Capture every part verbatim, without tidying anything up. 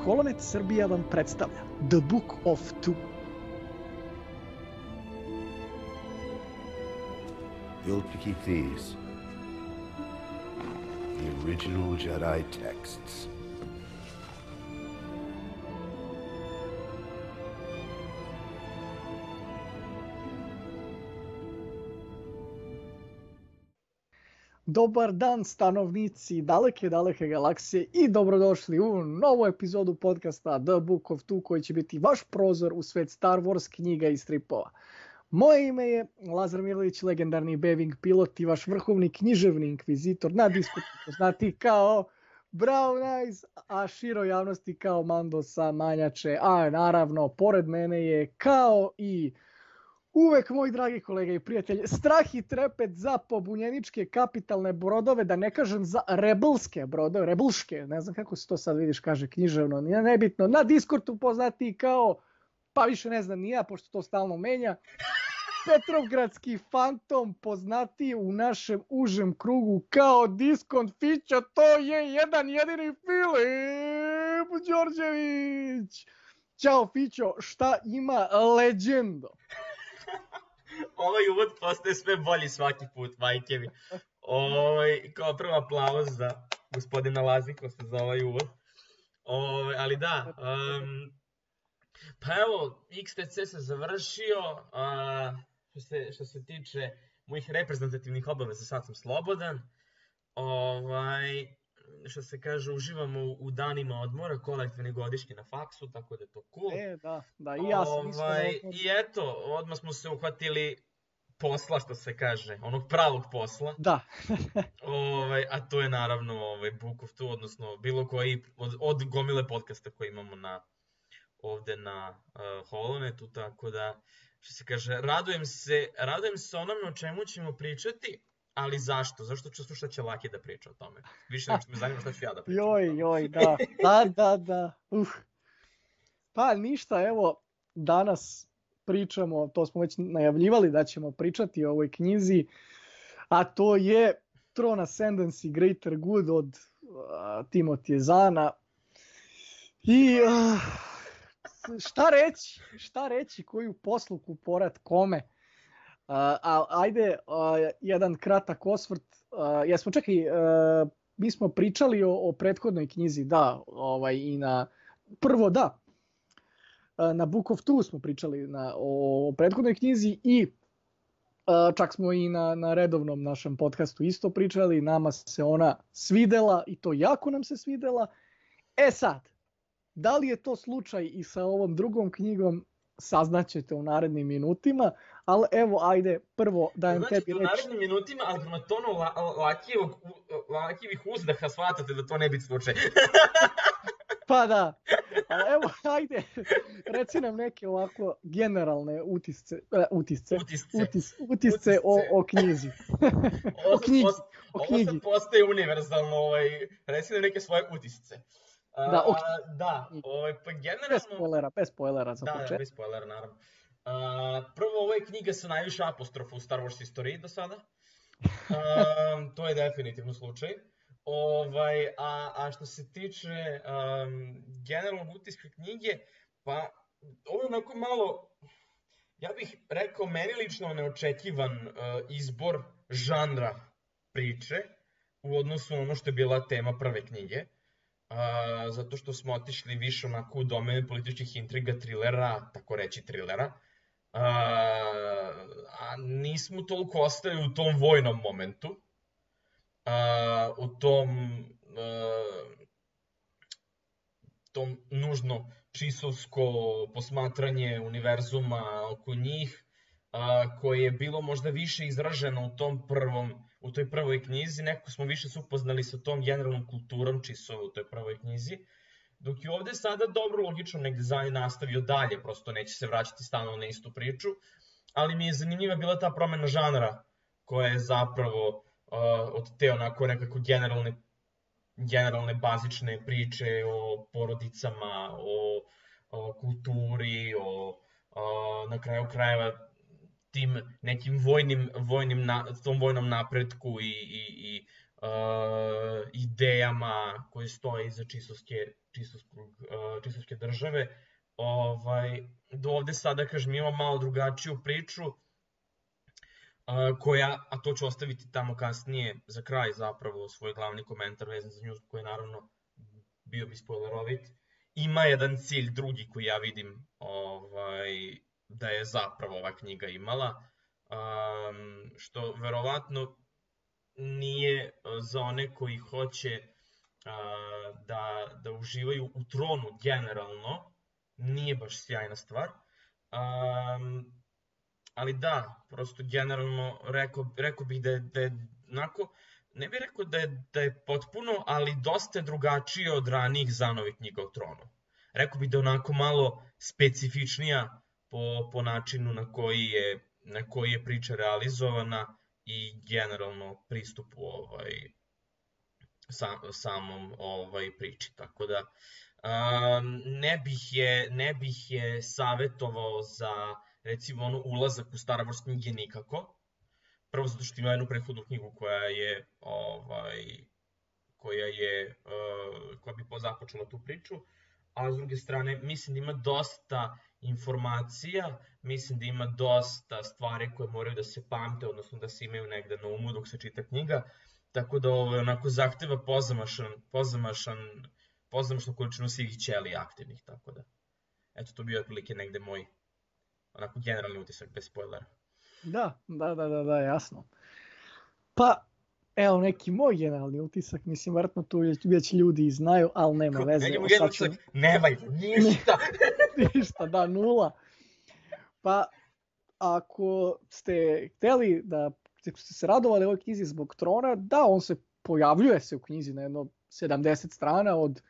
Holonet Srbija vam predstavlja The Book of Two. Built to keep these. The original Jedi texts. Dobar dan stanovnici daleke, daleke galaksije i dobrodošli u novu epizodu podcasta The Book of Two koji će biti vaš prozor u svet Star Wars knjiga i stripova. Moje ime je Lazar Mirlić, legendarni Beving pilot i vaš vrhovni književni inkvizitor na Discordu poznati kao Brown Eyes, a široj javnosti kao Mando sa Manjače, a naravno pored mene je kao i uvek moj dragi kolega i prijatelj, strah i trepet za pobunjeničke kapitalne brodove, da ne kažem za rebelske brodove, rebelške, ne znam kako se to sad vidiš kaže književno, nije nebitno, na Discordu poznati kao, pa više ne znam ni ja, pošto to stalno menja, Petrovgradski fantom poznati u našem užem krugu kao Diskont Fića, to je jedan jedini Filip Đorđević. Ćao Fićo, šta ima legendo? Ovaj uvod postaje sve bolji svaki put, majke mi. Ovaj, kao prvo aplauz za gospodina Lazikosa za ovaj uvod. Ovaj, ali da, um, pa evo, X T C se završio, a, što, se, što se tiče mojih reprezentativnih obaveza, sad sam slobodan. Ovaj, što se kaže, uživamo u, u danima odmora, kolektivni godišnji na faksu, tako da je to cool. E, da, da, i ja sam ovaj, I eto, odmah smo se uhvatili posla, što se kaže, onog pravog posla. Da. ovaj, a to je naravno ovaj, Book of Two, odnosno bilo koji od, od gomile podcasta koje imamo na, ovde na uh, Holonetu, tako da, što se kaže, radujem se, radujem se onome o čemu ćemo pričati. Ali zašto? Zašto ću slušati će Laki da priča o tome? Više nego što me zanima šta ću ja da pričam. Joj, joj, da, da, da, da. Uh. Pa ništa, evo, danas pričamo, to smo već najavljivali da ćemo pričati o ovoj knjizi, a to je Throne Ascendancy Greater Good od uh, Timothy Zahna. I uh, šta reći? Šta reći? Koju posluku, porad, kome? Uh, a, ajde, uh, jedan kratak osvrt. Uh, jesmo, čekaj, uh, mi smo pričali o, o prethodnoj knjizi, da, ovaj, i na, prvo da, uh, na Book of Two smo pričali na, o, o prethodnoj knjizi i uh, čak smo i na, na redovnom našem podcastu isto pričali, nama se ona svidela i to jako nam se svidela. E sad, da li je to slučaj i sa ovom drugom knjigom, saznaćete u narednim minutima, ali evo, ajde, prvo dajem znači, tebi reći. U narednim minutima, ali prema tonu la, lakijevog, lakijevih uzdaha shvatate da to ne biti slučaj. Pa da, ali evo, ajde, reci nam neke ovako generalne utisce, uh, utisce, utisce, utis, utisce o, o knjizi. o knjizi, post, o knjizi. Ovo sad postaje univerzalno, ovaj, reci nam neke svoje utisce. Da, ok. Uh, da, ovaj, pa generalno... Bez spoilera, bez spoilera za da, početak. Da, bez spoilera, naravno. Uh, prvo, ovo je knjiga sa najviše apostrofa u Star Wars istoriji do sada. Uh, to je definitivno slučaj. Ovaj, a, a što se tiče um, generalnog utiska knjige, pa ovo je onako malo, ja bih rekao, meni lično neočekivan uh, izbor žanra priče u odnosu na ono što je bila tema prve knjige. Uh, zato što smo otišli više onako u domene političkih intriga, trilera, tako reći trilera, uh, a nismo toliko ostali u tom vojnom momentu, uh, u tom, uh, tom nužno čisovsko posmatranje univerzuma oko njih, uh, koje je bilo možda više izraženo u tom prvom u toj prvoj knjizi, nekako smo više se upoznali sa tom generalnom kulturom čisova u toj prvoj knjizi, dok je ovde sada dobro, logično, negde Zahn nastavio dalje, prosto neće se vraćati stalno na istu priču, ali mi je zanimljiva bila ta promena žanra, koja je zapravo uh, od te onako nekako generalne, generalne bazične priče o porodicama, o, o kulturi, o, o na kraju krajeva tim nekim vojnim, vojnim na, tom vojnom napretku i, i, i, uh, i idejama koje stoje iza čisovske, čisovskog, uh, čisovske države. Ovaj, do ovde sada, kažem, imamo malo drugačiju priču, uh, koja, a to ću ostaviti tamo kasnije za kraj zapravo, svoj glavni komentar vezan za nju, koji je naravno bio bi spoilerovit, ima jedan cilj drugi koji ja vidim ovaj, da je zapravo ova knjiga imala, um, što verovatno nije za one koji hoće uh, da, da uživaju u tronu generalno, nije baš sjajna stvar. Um, ali da, prosto generalno rekao, rekao bih da je, da je onako, ne bih rekao da je, da je potpuno, ali dosta drugačije od ranijih Zanovih knjiga o tronu. Rekao bih da je onako malo specifičnija po, po načinu na koji je, na koji je priča realizovana i generalno pristupu ovaj, sam, samom ovaj, priči. Tako da um, ne, bih je, ne bih je savjetovao za recimo ono ulazak u Star Wars knjige nikako. Prvo zato što ima jednu prethodnu knjigu koja je ovaj koja je uh, koja bi započela tu priču, a s druge strane mislim da ima dosta informacija, mislim da ima dosta stvari koje moraju da se pamte, odnosno da se imaju negde na umu dok se čita knjiga, tako da ovo onako zahteva pozamašan, pozamašan, pozamašnu količinu svih ćelija aktivnih, tako da eto to bio otprilike negde moj onako generalni utisak bez spoilera. Da, da, da, da, da, jasno. Pa, evo neki moj generalni utisak, mislim, vjerojatno tu već ljudi znaju, ali nema veze. Nećemo generalni utisak, nemaju, ništa. Ništa, da, nula. Pa, ako ste hteli da, ako ste se radovali ovoj knjizi zbog trona, da, on se pojavljuje se u knjizi na jedno sedamdeset strana od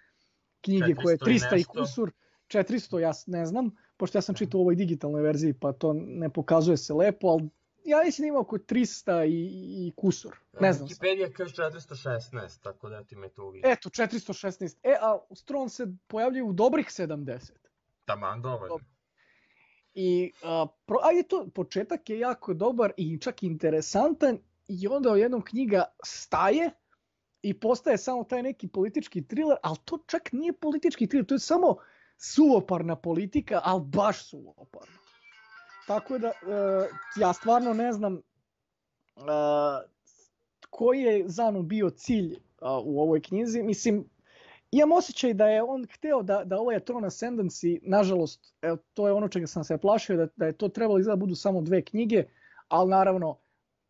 knjige koje je trista i kusur, četiristo, ja ne znam, pošto ja sam čitao u ovoj digitalnoj verziji, pa to ne pokazuje se lepo, ali ja mislim da ima oko trista i, i kusur, ne znam. Wikipedia kaže četiristo šesnaest, tako da ti me to uvijek. Eto, četiristo šesnaest, e, a Tron se pojavljuje u dobrih sedamdeset. Taman dovoljno. I, a, pro, a je to, početak je jako dobar i čak interesantan i onda jednom knjiga staje i postaje samo taj neki politički thriller, ali to čak nije politički thriller, to je samo suvoparna politika, ali baš suvoparna. Tako da, uh, ja stvarno ne znam uh, koji je Zanu bio cilj uh, u ovoj knjizi. Mislim, imam osjećaj da je on hteo da, da ovaj Tron Ascendancy, nažalost, evo, to je ono čega sam se plašio, da, da je to trebalo izgleda budu samo dve knjige, ali naravno,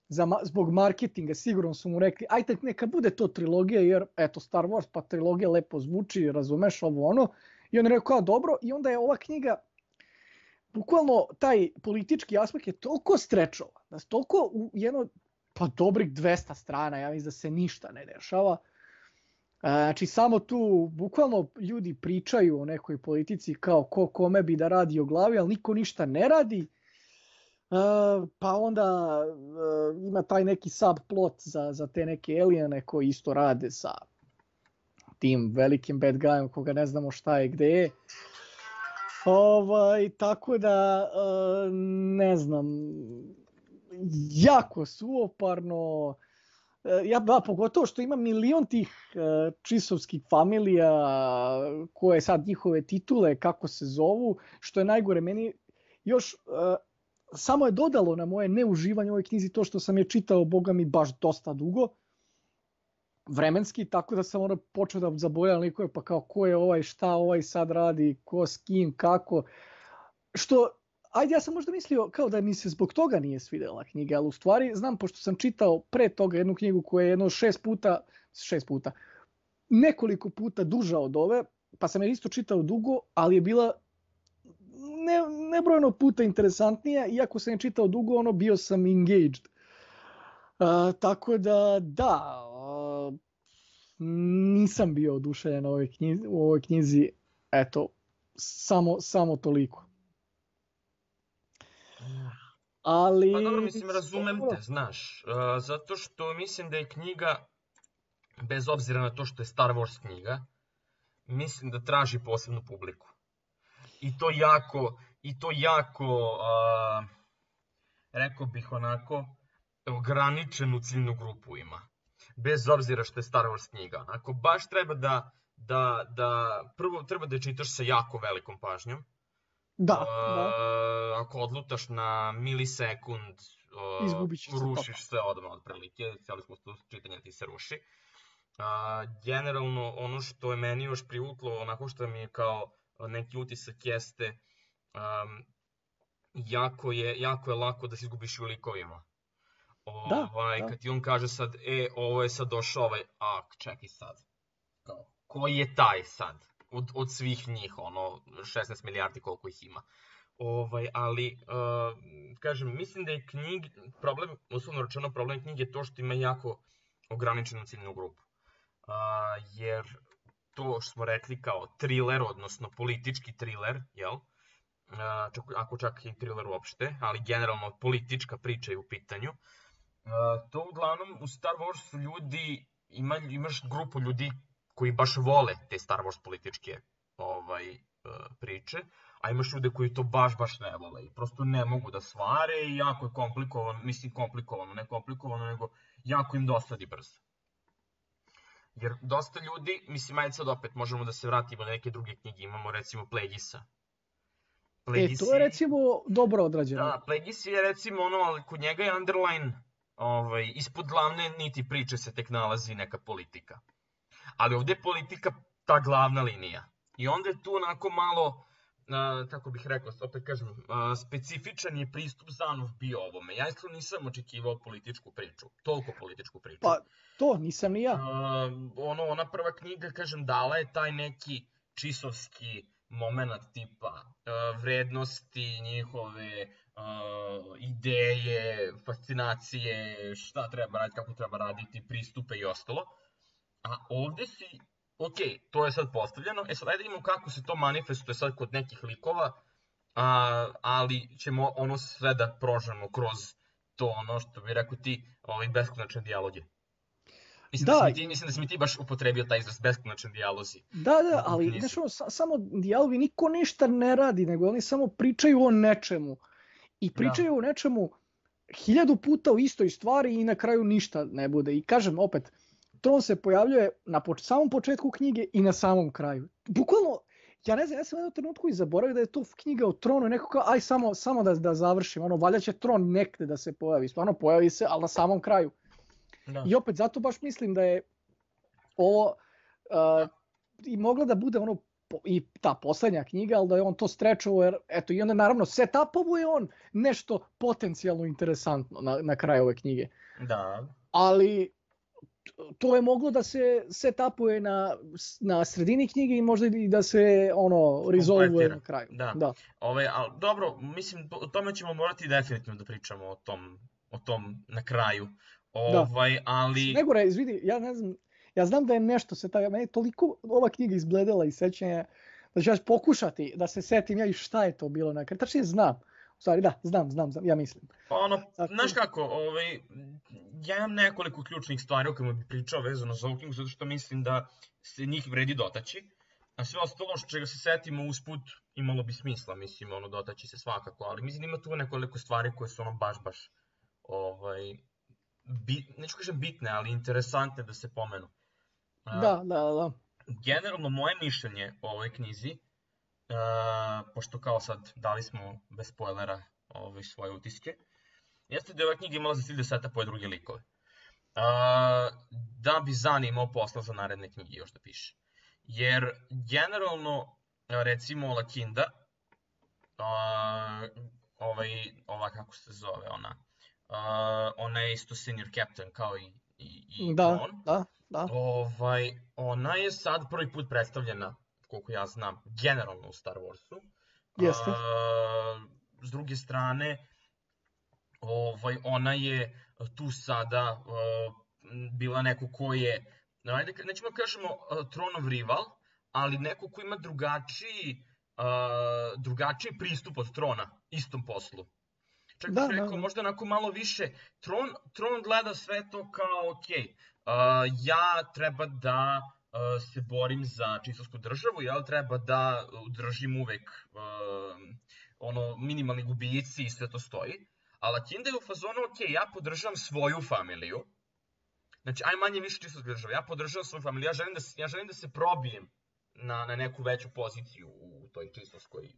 za, zbog marketinga sigurno su mu rekli, ajte neka bude to trilogija, jer eto Star Wars pa trilogija lepo zvuči, razumeš ovo ono. I on je rekao, dobro, i onda je ova knjiga, bukvalno taj politički aspekt je toliko strečovan, da se toliko u jedno, pa dobrih dvesta strana, ja mislim da se ništa ne dešava. Znači samo tu bukvalno ljudi pričaju o nekoj politici kao ko kome bi da radi o glavi, ali niko ništa ne radi. Pa onda ima taj neki subplot za, za te neke alijene koji isto rade sa tim velikim bad guyom koga ne znamo šta je gde je. Ovaj, tako da, ne znam, jako suvoparno. Ja, da, pogotovo što ima milion tih čisovskih familija koje sad njihove titule, kako se zovu, što je najgore. Meni još samo je dodalo na moje neuživanje u ovoj knjizi to što sam je čitao, boga mi, baš dosta dugo. Vremenski, tako da sam onda počeo da zaboravljam likove, pa kao ko je ovaj, šta ovaj sad radi, ko s kim, kako. Što, ajde, ja sam možda mislio kao da mi se zbog toga nije svidjela knjiga, ali u stvari znam, pošto sam čitao pre toga jednu knjigu koja je jedno šest puta, šest puta, nekoliko puta duža od ove, pa sam je isto čitao dugo, ali je bila ne, nebrojeno puta interesantnija, iako sam je čitao dugo, ono, bio sam engaged. Uh, tako da, da, uh, nisam bio oduševljen u ovoj knjizi, u ovoj knjizi, eto, samo, samo toliko. Ali... Pa dobro, mislim, razumem te, znaš, uh, zato što mislim da je knjiga, bez obzira na to što je Star Wars knjiga, mislim da traži posebnu publiku. I to jako, i to jako, uh, rekao bih onako, ograničenu ciljnu grupu ima. bez obzira što je Star Wars knjiga. Ako baš treba da, da, da prvo treba da je čitaš sa jako velikom pažnjom. Da, uh, da. Ako odlutaš na milisekund, uh, Izgubit ćeš se rušiš sve odmah otprilike, cijeli smo to čitanje ti se ruši. Uh, generalno, ono što je meni još privuklo, onako što mi je kao neki utisak jeste, um, jako, je, jako je lako da se izgubiš u likovima. Ovaj, da, da. Kad ti on kaže sad, e, ovo je sad došao ovaj, a, čekaj sad, kao, ko je taj sad, od, od svih njih, ono, šesnaest milijardi koliko ih ima. Ovaj, ali, uh, kažem, mislim da je knjig, problem, uslovno rečeno, problem knjige je to što ima jako ograničenu ciljnu grupu. Uh, jer to što smo rekli kao thriller, odnosno politički thriller, jel? Uh, čak, ako čak i thriller uopšte, ali generalno politička priča je u pitanju. Uh, to uglavnom u Star Warsu ljudi, ima, imaš grupu ljudi koji baš vole te Star Wars političke ovaj, uh, priče, a imaš ljude koji to baš baš ne vole i prosto ne mogu da svare i jako je komplikovano, mislim komplikovano, ne komplikovano, nego jako im dosadi brzo. Jer dosta ljudi, mislim, ajde sad opet možemo da se vratimo na neke druge knjige, imamo recimo Plagueisa. Plagueis... E, to je recimo dobro odrađeno. Da, Plagueis je recimo ono, ali kod njega je underline, ovaj, ispod glavne niti priče se tek nalazi neka politika. Ali ovdje je politika ta glavna linija. I onda je tu onako malo, uh, kako bih rekao, opet kažem, uh, specifičan je pristup Zanov bio ovome. Ja isto nisam očekivao političku priču, toliko političku priču. Pa to nisam ni ja. Uh, ono, ona prva knjiga, kažem, dala je taj neki čisovski moment tipa uh, vrednosti, njihove uh, ideje, fascinacije, šta treba raditi, kako treba raditi, pristupe i ostalo. A ovdje si, ok, to je sad postavljeno, e sad ajde vidimo kako se to manifestuje sad kod nekih likova, a, ali ćemo ono sve da prožemo kroz to ono što bi rekao ti, ovaj, beskonačne dijaloge. Mislim da, da, ti, mislim da si mi ti baš upotrebio taj izraz beskonačni dijalozi. Da, da, ali znaš, ono, samo dijalogi, niko ništa ne radi, nego oni samo pričaju o nečemu. I pričaju da. o nečemu hiljadu puta o istoj stvari i na kraju ništa ne bude. I kažem opet, Tron se pojavljuje na poč- samom početku knjige i na samom kraju. Bukvalno, ja ne znam, ja sam u jednom trenutku i zaboravio da je to knjiga o Tronu i neko kao, aj samo, samo da, da završim, ono, valjda će Tron nekde da se pojavi. Stvarno pojavi se, ali na samom kraju. Da. I opet, zato baš mislim da je ovo uh, i mogla da bude ono i ta poslednja knjiga, ali da je on to strečao, jer eto, i onda naravno setupovo je on nešto potencijalno interesantno na, na kraju ove knjige. Da. Ali to je moglo da se setupuje na, na sredini knjige i možda i da se ono resolvuje na kraju. Da. Da. Ove, ali, dobro, mislim, o tome ćemo morati definitivno da pričamo o tom, o tom na kraju. Ovaj, da. Ali... Nego re, izvidi, ja ne znam, ja znam da je nešto se tako, meni je toliko ova knjiga izbledela i sećanja da ću ja pokušati da se setim ja i šta je to bilo na kraju. Tačnije znam. U stvari, da, znam, znam, znam, ja mislim. Pa ono, tako... znaš kako, ovaj, ja imam nekoliko ključnih stvari o kojima bih pričao vezano za ovu knjigu, zato što mislim da se njih vredi dotaći. A sve ostalo što čega se setimo usput imalo bi smisla, mislim, ono, dotaći se svakako, ali mislim ima tu nekoliko stvari koje su ono baš, baš, ovaj, bit, neću kažem bitne, ali interesantne da se pomenu. Da, da, da. Generalno, moje mišljenje o ovoj knjizi, Uh, pošto kao sad dali smo bez spoilera ove svoje utiske, jeste da je ova knjiga imala za cilj da setupuje druge likove. Uh, da bi Zan imao posla za naredne knjige još da piše. Jer generalno, recimo Lakinda, uh, ovaj, ova kako se zove ona, uh, ona je isto senior captain kao i, i, i da, on. Da, da. Ovaj, ona je sad prvi put predstavljena, koliko ja znam, generalno u Star Warsu. Jeste. A, s druge strane, ovaj, ona je tu sada uh, bila neko ko je, ajde, nećemo kažemo uh, Tronov rival, ali neko ko ima drugačiji, uh, drugačiji pristup od Trona, istom poslu. Čak bih rekao, da. Možda onako malo više, Tron, Tron gleda sve to kao, ok, uh, ja treba da se borim za čistovsku državu, jel, treba da držim uvek uh, ono, minimalni gubici i sve to stoji. A Lakinda je u fazonu, ok, ja podržam svoju familiju, Znači, aj manje više čisto država. Ja podržavam svoju familiju, ja želim da se, ja želim da se probijem na, na neku veću poziciju u toj čistovskoj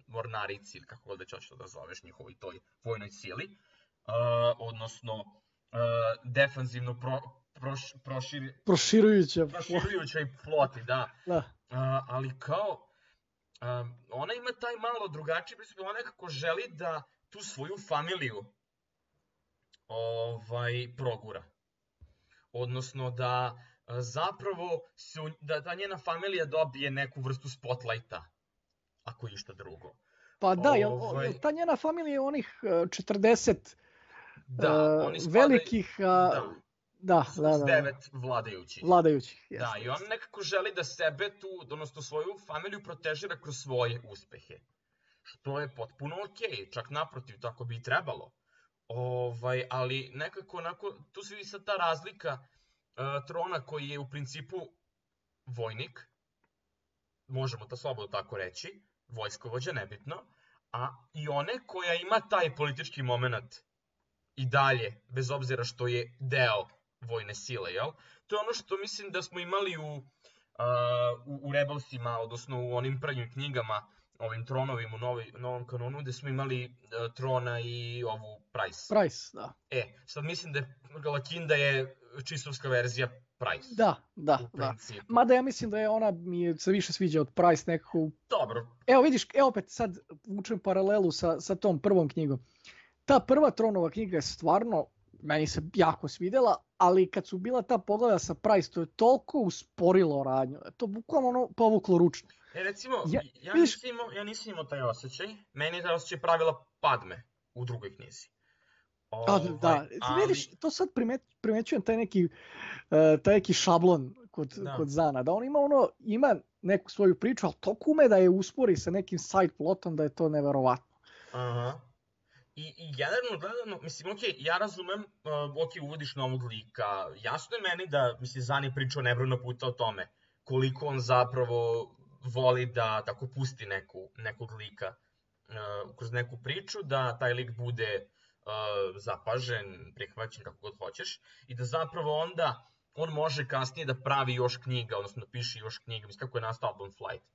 mornarici, ili kako god već hoćeš da zoveš, njihovoj toj vojnoj sili. Uh, odnosno, uh, defanzivno pro, proš, proširi, Proširujuća. proširujućoj floti, da. Da. Uh, ali kao, um, ona ima taj malo drugačiji pristup, ona nekako želi da tu svoju familiju ovaj, progura. Odnosno da uh, zapravo se, da ta njena familija dobije neku vrstu spotlighta, ako išta drugo. Pa da, jel, Ovaj- jel ta njena familija je onih e, četrdeset Da, e, oni spadaju- velikih, a, Da, da, s da, da, da, devet vladajućih. vladajućih. Da, jeste, i on jeste. nekako želi da sebe tu, odnosno svoju familiju protežira kroz svoje uspehe. Što je potpuno okej, čak naprotiv, tako bi i trebalo. Ovaj, ali nekako onako, tu se vidi sad ta razlika uh, trona koji je u principu vojnik, možemo to slobodno tako reći, vojskovođa, nebitno, a i one koja ima taj politički moment i dalje, bez obzira što je deo vojne sile, jel? To je ono što mislim da smo imali u, uh, u, u Rebelsima, odnosno u onim prvim knjigama, ovim tronovima u novi, novom kanonu, gde smo imali uh, Trona i ovu Price. Price, da. E, sad mislim da je Lakinda je čistovska verzija Price. Da, da, u da. principu. Mada ja mislim da je ona mi je se više sviđa od Price nekako. u- Dobro, Evo vidiš, evo opet sad vučem paralelu sa, sa tom prvom knjigom. Ta prva Tronova knjiga je stvarno, meni se jako svidjela, ali kad su bila ta pogleda sa Price, to je toliko usporilo radnju. da je To bukvalno ono povuklo ručno. e, recimo, Ja- ja, ja, vidiš- nisam imao, ja nisam imao taj osjećaj. Meni je taj osjećaj pravila Padme u drugoj knjizi. A, Ovaj, da, ali- vidiš, to sad primet, primećujem taj neki, e, taj neki šablon kod, Da. kod Zana, da on ima ono, ima neku svoju priču, ali toliko ume da je uspori sa nekim side plotom da je to neverovatno. Aha. I, I generalno gledano, mislim, okej, ja razumem, uh, okej, uvodiš novog lika, jasno je meni da, mislim, Zan je pričao nebrojeno puta o tome, koliko on zapravo voli da tako pusti neku, nekog lika uh, kroz neku priču, da taj lik bude uh, zapažen, prihvaćen, kako god hoćeš, i da zapravo onda on može kasnije da pravi još knjiga, odnosno da piše još knjiga, mislim, kako je nastao Album Flight,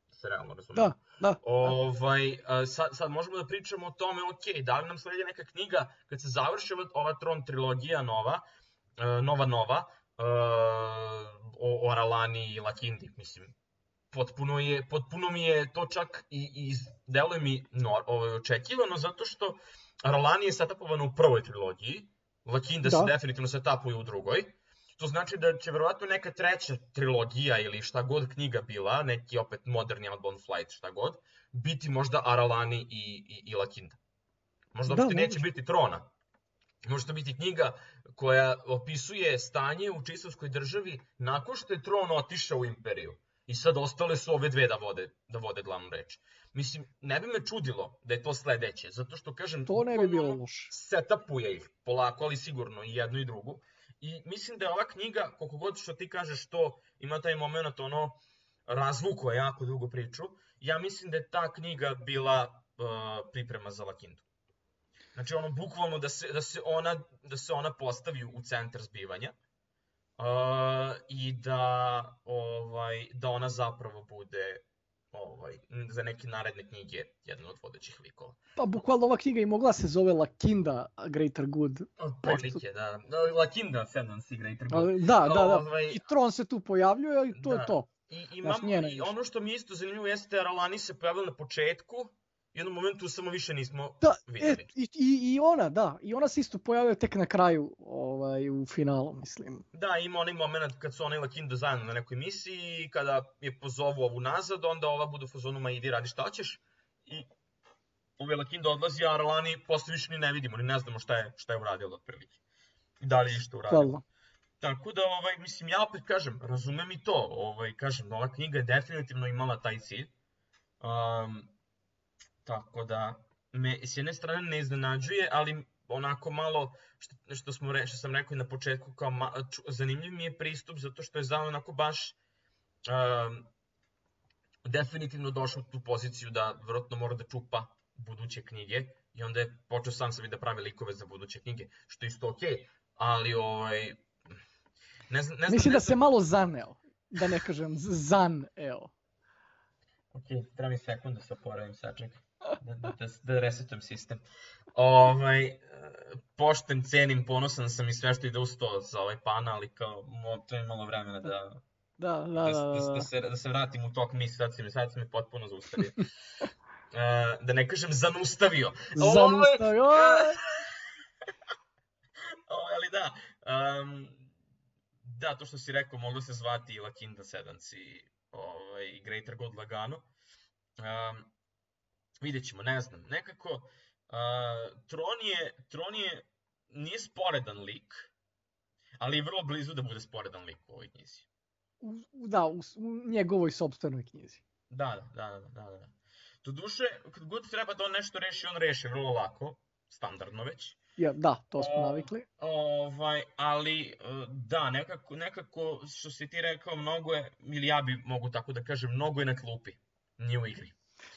da se realno razumemo. Da, da. da. Ovaj, a, sad, sad možemo da pričamo o tome, ok, da li nam sledi neka knjiga, kad se završi ova, ova Tron trilogija nova, uh, nova nova, uh, o, o Aralani i Lakindi, mislim, potpuno, je, potpuno mi je to čak i, i deluje mi no, ovaj, očekivano, zato što Aralani je setapovana u prvoj trilogiji, Lakinda Da. se definitivno setapuje u drugoj. To znači da će verovatno neka treća trilogija ili šta god knjiga bila, neki opet moderni Outbound Flight, šta god, biti možda Aralani i, i, i Lakinda. Možda Da, uopšte neće moguće. biti Trona. Može to biti knjiga koja opisuje stanje u čistovskoj državi nakon što je Tron otišao u Imperiju. I sad ostale su ove dve da vode, da vode glavnu reč. Mislim, ne bi me čudilo da je to sledeće, zato što, kažem, To ne bi bilo bukvalno loše. setapuje ih polako, ali sigurno i jednu i drugu. I mislim da je ova knjiga, koliko god što ti kažeš to, ima taj moment, ono, razvukuje jako dugo priču, ja mislim da je ta knjiga bila uh, priprema za Lakindu. Znači, ono, bukvalno da se, da se, ona, da se ona postavi u centar zbivanja uh, i da, ovaj, da ona zapravo bude ovaj, za neke naredne knjige jedna od vodećih likova. Pa bukvalno ova knjiga i mogla se zove Lakinda Greater Good. Prilike, da. Lakinda Ascendance igra i trgu. Ali, da, da, da. Ovaj, I Tron se tu pojavljuje i to Da. je to. I, Znaš, imamo, njena i više. ono što mi je isto zanimljivo jeste da Aralani se pojavila na početku, i u jednom momentu samo više nismo Da, e, vidjeli. i, i, i ona, da. I ona se isto pojavila tek na kraju, ovaj, u finalu, mislim. Da, ima onaj moment kad su ona i Lakinda zajedno na nekoj misiji i kada je pozovu ovu nazad, onda ova bude u fazonu, ma idi radi šta hoćeš. I ovaj Lakinda odlazi, a Aralani posle više ni ne vidimo, ni ne znamo šta je, šta je uradila otprilike. I da li je išto uradila. Hvala. Tako da, ovaj, mislim, ja opet kažem, razumem i to, ovaj, kažem, ova knjiga je definitivno imala taj cilj. Um, tako da, me s jedne strane ne iznenađuje, ali onako malo, što, što, smo re, što sam rekao i na početku, kao ma, ču, zanimljiv mi je pristup, zato što je Zan onako baš um, definitivno došao u tu poziciju da vjerojatno mora da čupa buduće knjige i onda je počeo sam sebi da pravi likove za buduće knjige, što je isto okej, ali ovaj, Ne znam, ne znam, Mislim ne da znam. se malo zaneo, da ne kažem zaneo. Ok, treba mi sekund da se oporavim, sačekaj. Da, da, da, da resetujem sistem. Ovaj, e, pošten, cenim, ponosan sam i sve što ide uz to za ovaj pana, ali kao, mo, treba mi malo vremena da, Da, da, da, da, da, da. da, se, da se vratim u tok misli, sad si me, sad si me potpuno zaustavio. E, da ne kažem zanustavio. Zanustavio. Ovaj, ovaj, ali da, um, da, to što si rekao, moglo se zvati i Lakinda Sedans i ovaj, Greater God Lagano. Um, vidjet ćemo, ne znam, nekako uh, Tron je, Tron je, nije sporedan lik, ali je vrlo blizu da bude sporedan lik u ovoj knjizi. U- Da, u, s- u njegovoj sopstvenoj knjizi. Da, da, da, da, da, da. Doduše, kad god treba da on nešto reši, on reši vrlo lako, standardno već. Ja, da, to smo O, navikli. ovaj, ali uh, da, nekako, nekako, što si ti rekao, mnogo je, ili ja bi mogu tako da kažem, mnogo je na klupi, nije u igri.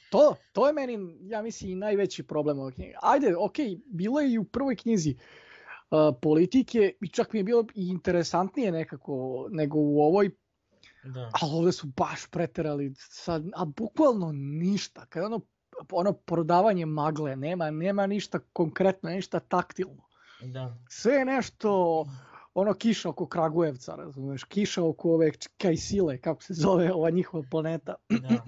To, to je meni, ja mislim, i najveći problem ove knjige. Ajde, okej, bilo je i u prvoj knjizi uh, politike i čak mi je bilo i interesantnije nekako nego u ovoj, Da. ali ovdje su baš preterali, sad, a bukvalno ništa. Kada ono, ono prodavanje magle, nema, nema ništa konkretno, ništa taktilno. Da. Sve je nešto, ono kiša oko Kragujevca, razumeš, kiša oko ove Kajsile, kako se zove ova njihova planeta. Da.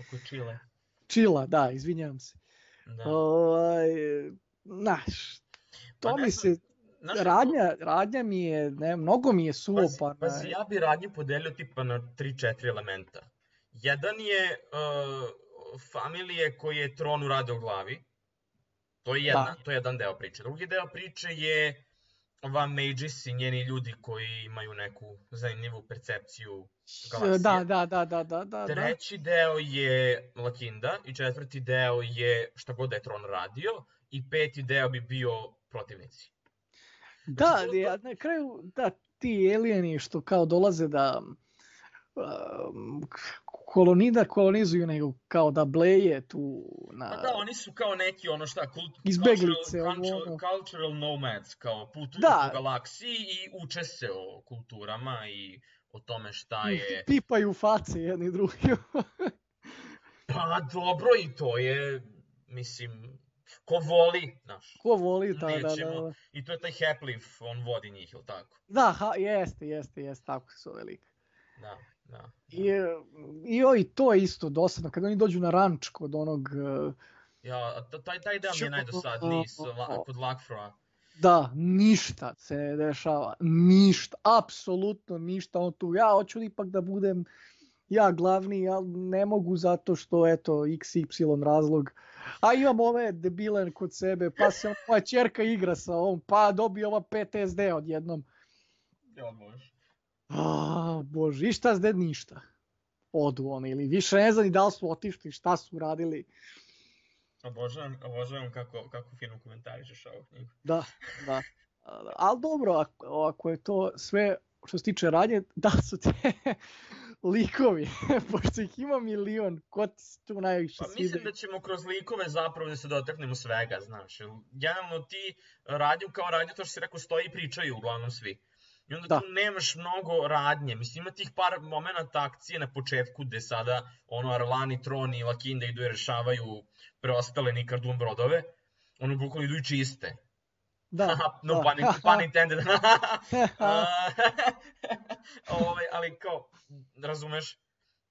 Oko Čile. Čila, da, izvinjavam se. Da. Ovaj, znaš, to Pa ne mi znam, se, znaš kako- radnja, radnja mi je, ne, mnogo mi je Pazi, suopana. pazi, ja bi radnju podelio tipa na tri četiri elementa. Jedan je uh, familije koji je Tron urade u glavi. To je jedna, Da. to je jedan deo priče. Drugi deo priče je ova Maegis i njeni ljudi koji imaju neku zanimljivu percepciju galaksije. Da, da, da, da, da, da. Treći deo je Lakinda i četvrti deo je šta god da je Tron radio i peti deo bi bio protivnici. Da, Znači, to- da, na kraju, da, ti alieni što kao dolaze da um, kolonida kolonizuju, nego kao da bleje tu na... Pa da, oni su kao neki ono šta, kult, Izbeglice, cultural, ono, cultural, ono. cultural nomads, kao putuju Da. po galaksiji i uče se o kulturama i o tome šta je... Pipaju face jedni drugi. Pa dobro, i to je, mislim, ko voli, znaš, Ko voli, da, da, nećemo. da. I to je taj Hepliv, on vodi njih, ili tako? Da, ha, jeste, jeste, jeste, tako se zove lik. Da, da. I, i, o, i to je isto dosadno, kad oni dođu na ranč kod onog, eh, Ja, a t- taj, taj deo mi je najdosadniji s, la, kod Lakfroa. da, ništa se ne dešava, ništa, apsolutno ništa, on tu, ja hoću ipak da budem ja glavni, ali ne mogu zato što, eto, iks ipsilon razlog, a imam ove debile kod sebe, pa se moja ćerka igra sa ovom, pa dobije ova P T S D odjednom. Ja, može. A, bože, i šta zde ništa. Odu oni, ili više ne znam ni da li su otišli, šta su radili. Obožavam, obožavam kako, kako fino komentarišeš ovu knjigu. Da, da. Ali dobro, ako, ako je to sve što se tiče radnje, da su te likovi, pošto ih ima milion, ko ti se tu najviše Pa svide? mislim da ćemo kroz likove zapravo da se dotaknemo svega, znaš. Jer generalno ti radnju kao radnju, to što si rekao, stoji i pričaju uglavnom svi. I onda Da. tu nemaš mnogo radnje. Mislim, ima tih par momenata akcije na početku gde sada ono Arlani, Tron i Lakinda idu i rešavaju preostale Nikardun brodove. Ono bukvalno idu i čiste. Da, no da. pun, pun intended. Ove, ali kao, razumeš?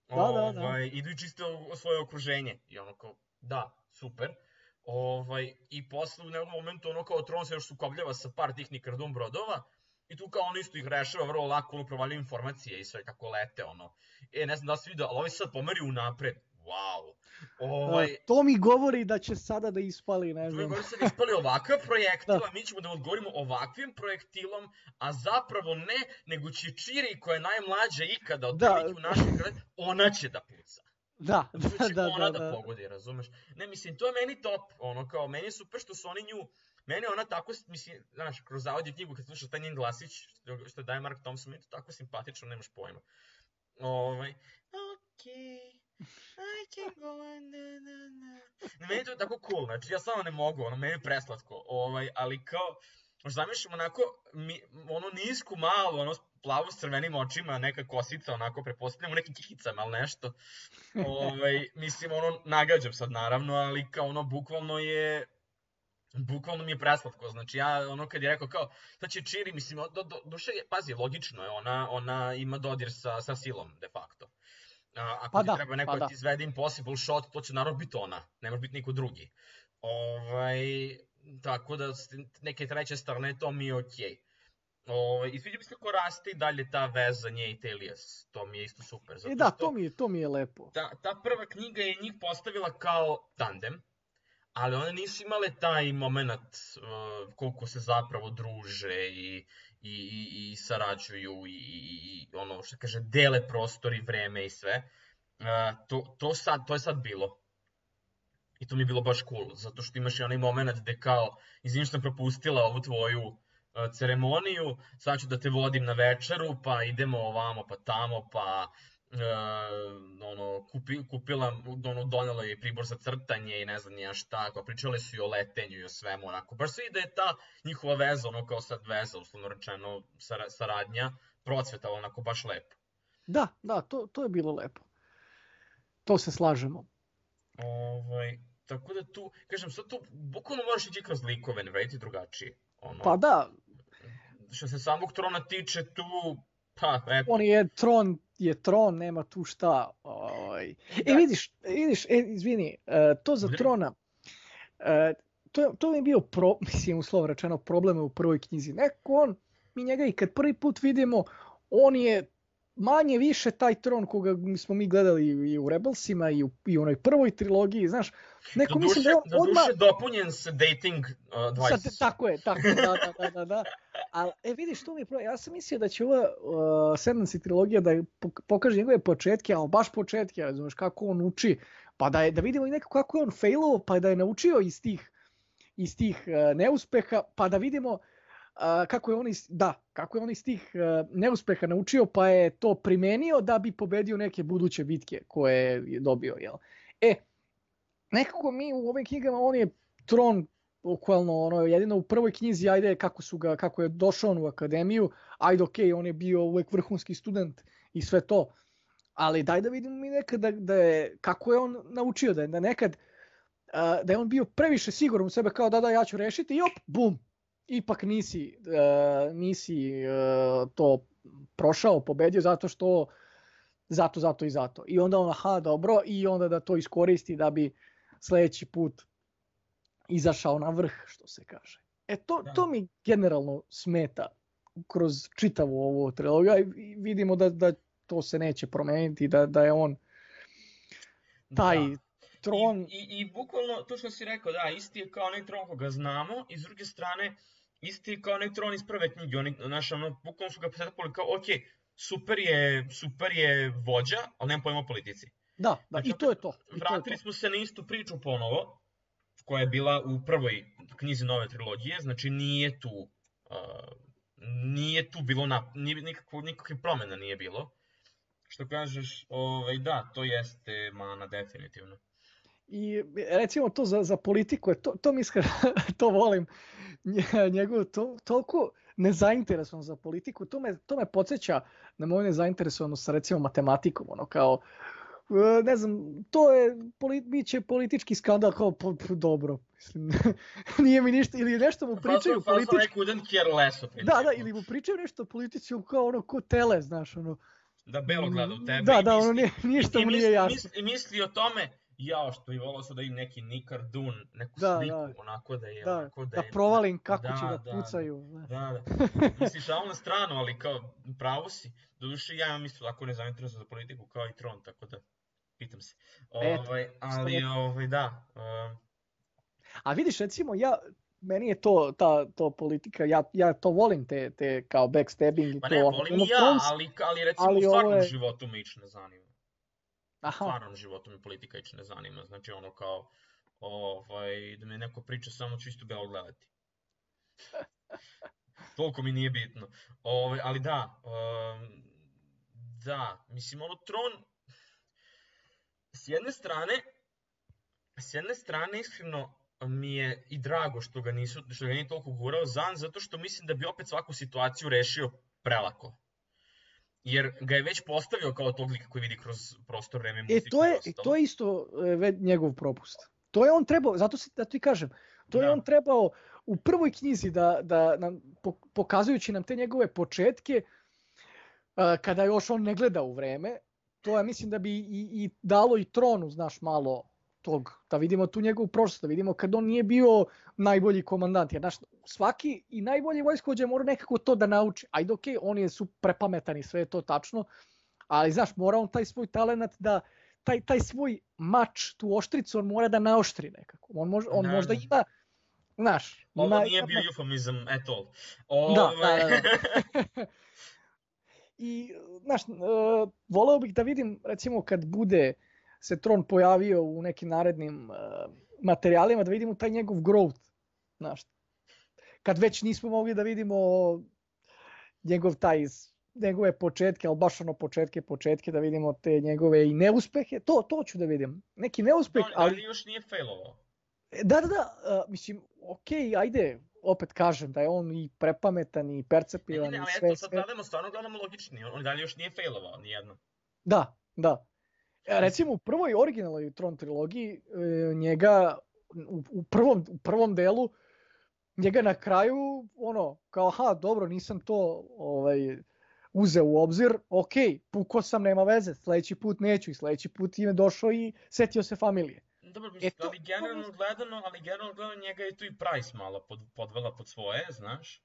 Da, da, da. Ovaj, idu i čiste o- svoje okruženje. I ono kao, da, super. Ovaj, I posle u nekom momentu ono kao Tron se još sukobljava sa par tih Nikardun brodova. I tu kao on isto ih rešava vrlo lako, ono provaljuje informacije i sve kako lete, ono. E, ne znam da li si vidio, ali ovaj sad pomeri unapred. Wow. Ovaj, To mi govori da će sada da ispali, ne Tu je znam. gore sad ispali ovakav projektil, a mi ćemo da odgovorimo ovakvim projektilom, a zapravo ne, nego će Čiri, koja je najmlađa ikada od Da. prilike u našem kraju, ona će da puca. Da, Zato da, će da, ona da, da, da. pogodi, razumeš? Ne, mislim, to je meni top, ono kao, meni je super što su oni nju, meni je ona tako, mislim, znaš, kroz audio knjigu kad slušaš taj njen glasić, što, što daje Mark Thompson, meni je to tako simpatično, nemaš pojma. Ovaj, okej. I can go on, na, na, na. Meni je to tako cool, znači ja samo ne mogu, ono, meni je preslatko, ovaj, ali kao, zamišljam onako, mi, ono nisku malu, ono plavu s crvenim očima, neka kosica, onako, prepostavljam u nekim kihicama, ali nešto. Ovaj, mislim, ono, nagađam sad, naravno, ali kao ono, bukvalno je, bukvalno mi je preslatko, znači ja, ono, kad je rekao kao, sad će Čiri, mislim, do, do, duše, pazi, logično je, ona, ona ima dodir sa, sa silom, de facto. A, ako Pa ti da, treba neko pa da da. ti izvede impossible shot, to će naravno biti ona, ne može biti niko drugi. Ovaj, tako da, s neke treće strane, to mi je okej. Ovaj, i sviđa mi se kako raste i dalje ta veza nje i Telias, to mi je isto super. Zato E da, što to mi je, to mi je lepo. ta, ta prva knjiga je njih postavila kao tandem, ali one nisu imale taj moment uh, koliko se zapravo druže i, i, i, i sarađuju i, i, i ono što kaže dele prostor i vreme i sve. Uh, to, to, sad, to je sad bilo. I to mi je bilo baš cool, zato što imaš i onaj moment gde kao, izvim što sam propustila ovu tvoju uh, ceremoniju, sad ću da te vodim na večeru, pa idemo ovamo, pa tamo, pa uh, ono, kupi, kupila, ono, donela je pribor za crtanje i ne znam nija šta, kao pričale su i o letenju i o svemu, onako, baš se vidi da je ta njihova veza, ono kao sad veza, uslovno rečeno, sar, saradnja, procvetala onako baš lepo. Da, da, to, to je bilo lepo. To se slažemo. Ovaj, tako da tu, kažem, sad tu bukvalno moraš ići kroz likove, ne vediti drugačije. Ono, Pa da, što se samog trona tiče tu, pa eto. on je tron, je tron, nema tu šta. Ovaj. Da. E vidiš, vidiš, e, izvini, e, to za Udri. trona, e, to, to mi je bio, pro, mislim, uslovno rečeno, problem u prvoj knjizi. Neko on, mi njega i kad prvi put vidimo, on je manje više taj tron koga smo mi gledali i u Rebelsima i u, i u onoj prvoj trilogiji, znaš, neko Do mislim duše, da je on do odmah... duše dopunjen sa dating uh, advice. Sad, tako je, tako je, da, da, da, da, da. Ali, e, vidiš, to mi je problem. Ja sam mislio da će ova uh, sedamnaesta trilogija da pokaže njegove početke, ali baš početke, razumeš, kako on uči, pa da, je, da vidimo i neko kako je on failovao, pa da je naučio iz tih, iz tih uh, neuspeha, pa da vidimo uh, kako je on iz, da, kako je on iz tih uh, neuspeha naučio, pa je to primenio da bi pobedio neke buduće bitke koje je dobio, jel? E, nekako mi u ovim knjigama, on je tron, bukvalno, ono, jedino u prvoj knjizi, ajde, kako, su ga, kako je došao on u akademiju, ajde, okej, okay, on je bio uvek vrhunski student i sve to, ali daj da vidimo mi nekad da, da je, kako je on naučio, da je da nekad, uh, da je on bio previše siguran u sebe, kao da da, ja ću rešiti i op, bum, ipak nisi, uh, nisi uh, to prošao, pobedio, zato što, zato, zato i zato. I onda on, aha, dobro, i onda da to iskoristi da bi sledeći put izašao na vrh, što se kaže. E to, to mi generalno smeta kroz čitavu ovu trilogiju i vidimo da, da to se neće promeniti, da, da je on taj da. tron... I, i, I bukvalno to što si rekao, da, isti je kao onaj tron koga znamo i s druge strane isti je kao onaj tron iz prve knjige, oni, naš, ono, bukvalno su ga pretapali kao, ok, super je, super je vođa, ali nema pojma o politici. Da, da, znači, i to je to. I vratili to je to. smo se na istu priču ponovo, koja je bila u prvoj knjizi nove trilogije, znači nije tu, uh, nije tu bilo, na, nije, nikakvo, nikakve promjena nije bilo. Što kažeš, ovaj, da, to jeste mana definitivno. I recimo to za, za politiku, to, to mi iskreno, to volim, njegovu, to, toliko nezainteresovan za politiku, to me, to me podsjeća na moju nezainteresovanost sa recimo matematikom, ono kao, ne znam, to je, bit će politički skandal, kao, po, po, dobro, mislim, nije mi ništa, ili nešto mu pričaju pa, politički. Pa neko couldn't care less o da, da, ili mu pričaju nešto politici, kao ono, ko tele, znaš, ono. Da Belo gleda u tebe. Da, i da, misli, ono, nije, ništa mu nije jasno. I misli, misli o tome, jao, što bi volao sad da im neki Nick Dune, neku da, sliku, da. onako da je... Da, onako da, da je, provalim kako da, će da, da pucaju. Da, da, da. Misliš, šal na stranu, ali kao, pravo si. Doduše, ja imam isto tako nezainteresovan za politiku kao i Tron, tako da, pitam se. Ovaj, ali, ovaj, da. Um... A vidiš, recimo, ja, meni je to, ta, to politika, ja, ja to volim, te, te kao backstabbing. Pa ne, to, volim i ja, ali, ali recimo ali u stvarnom je... životu me ići ne zanima. Aha. U stvarnom životu me politika ići ne zanima, znači ono kao, ovaj, da mi neko priča, samo ću isto Belo gledati. Toliko mi nije bitno. Ovaj, ali da, um, da, mislim, ono, Tron, s jedne strane, s jedne strane, iskreno, mi je i drago što ga nisu, što ga nije toliko gurao Zan, zato što mislim da bi opet svaku situaciju rešio prelako. Jer ga je već postavio kao tog lika koji vidi kroz prostor, vreme, muziku E, to je, i ostalo. to je isto e, njegov propust. To je on trebao, zato se, da ti kažem, to Da. je on trebao u prvoj knjizi da, da nam, pokazujući nam te njegove početke, uh, kada još on ne gleda u vreme, to ja mislim da bi i, i dalo i tronu, znaš, malo tog, da vidimo tu njegovu prošlost, da vidimo kad on nije bio najbolji komandant, jer znaš, svaki i najbolji vojskovođa mora nekako to da nauči. Ajde, okej, okay, on je su prepametan i sve je to tačno, ali znaš, mora on taj svoj talenat da, taj, taj svoj mač, tu oštricu, on mora da naoštri nekako. On, mož, on Da, možda da. ima, znaš... Ovo ima, nije ima, bio eufemizam at all. Da, Ovaj, da, da, da. I, znaš, uh, voleo bih da vidim, recimo, kad bude se Tron pojavio u nekim narednim uh, materijalima, da vidimo taj njegov growth, znaš. Kad već nismo mogli da vidimo njegov taj, njegove početke, ali baš ono početke, početke, da vidimo te njegove i neuspehe, to, to ću da vidim. Neki neuspeh, on, ali... ali još nije failovao. Da, da, da, uh, mislim, okej, okay, ajde, opet kažem da je on i prepametan i percepivan Ne, ne, i ali sve, eto, sad sve. gledamo, stvarno gledamo logični, on, on dalje još nije failovao, nijedno. Da, da. E, recimo u prvoj originalnoj Tron trilogiji, e, njega u, u, prvom, u prvom delu, njega na kraju, ono, kao, aha, dobro, nisam to ovaj, uzeo u obzir, ok, pukao sam, nema veze, sledeći put neću i sledeći put im je došao i setio se familije. Dobro, mislim, E, to- ali generalno gledano, ali generalno gledano njega je tu i Price malo pod, podvela pod svoje, znaš.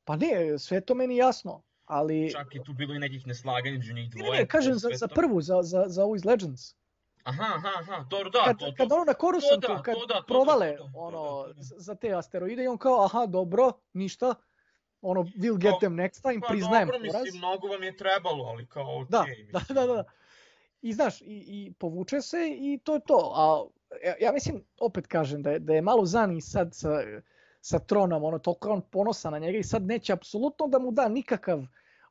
Pa ne, sve to meni jasno, ali... Čak je tu bilo i nekih neslaganja među njih Ne, dvoje. ne, ne, kažem to za, sve za to- prvu, za, za, za ovu iz Legends. Aha, aha, aha, dobro, da, Kad, to, to. kad ono na Coruscantu, to da, kad to da, to da, provale to da, to ono, da, to da. z- za te asteroide i on kao, aha, dobro, ništa, ono, we'll get Kao, them next time, Pa priznajem dobro, poraz. mislim, mnogo vam je trebalo, ali kao okej, Da, mislim. da, da, da. I znaš, i, i povuče se i to je to. A ja, ja mislim, opet kažem, da je, da je malo Zan i sad sa, sa Tronom, ono, toliko je on ponosan na njega i sad neće apsolutno da mu da nikakav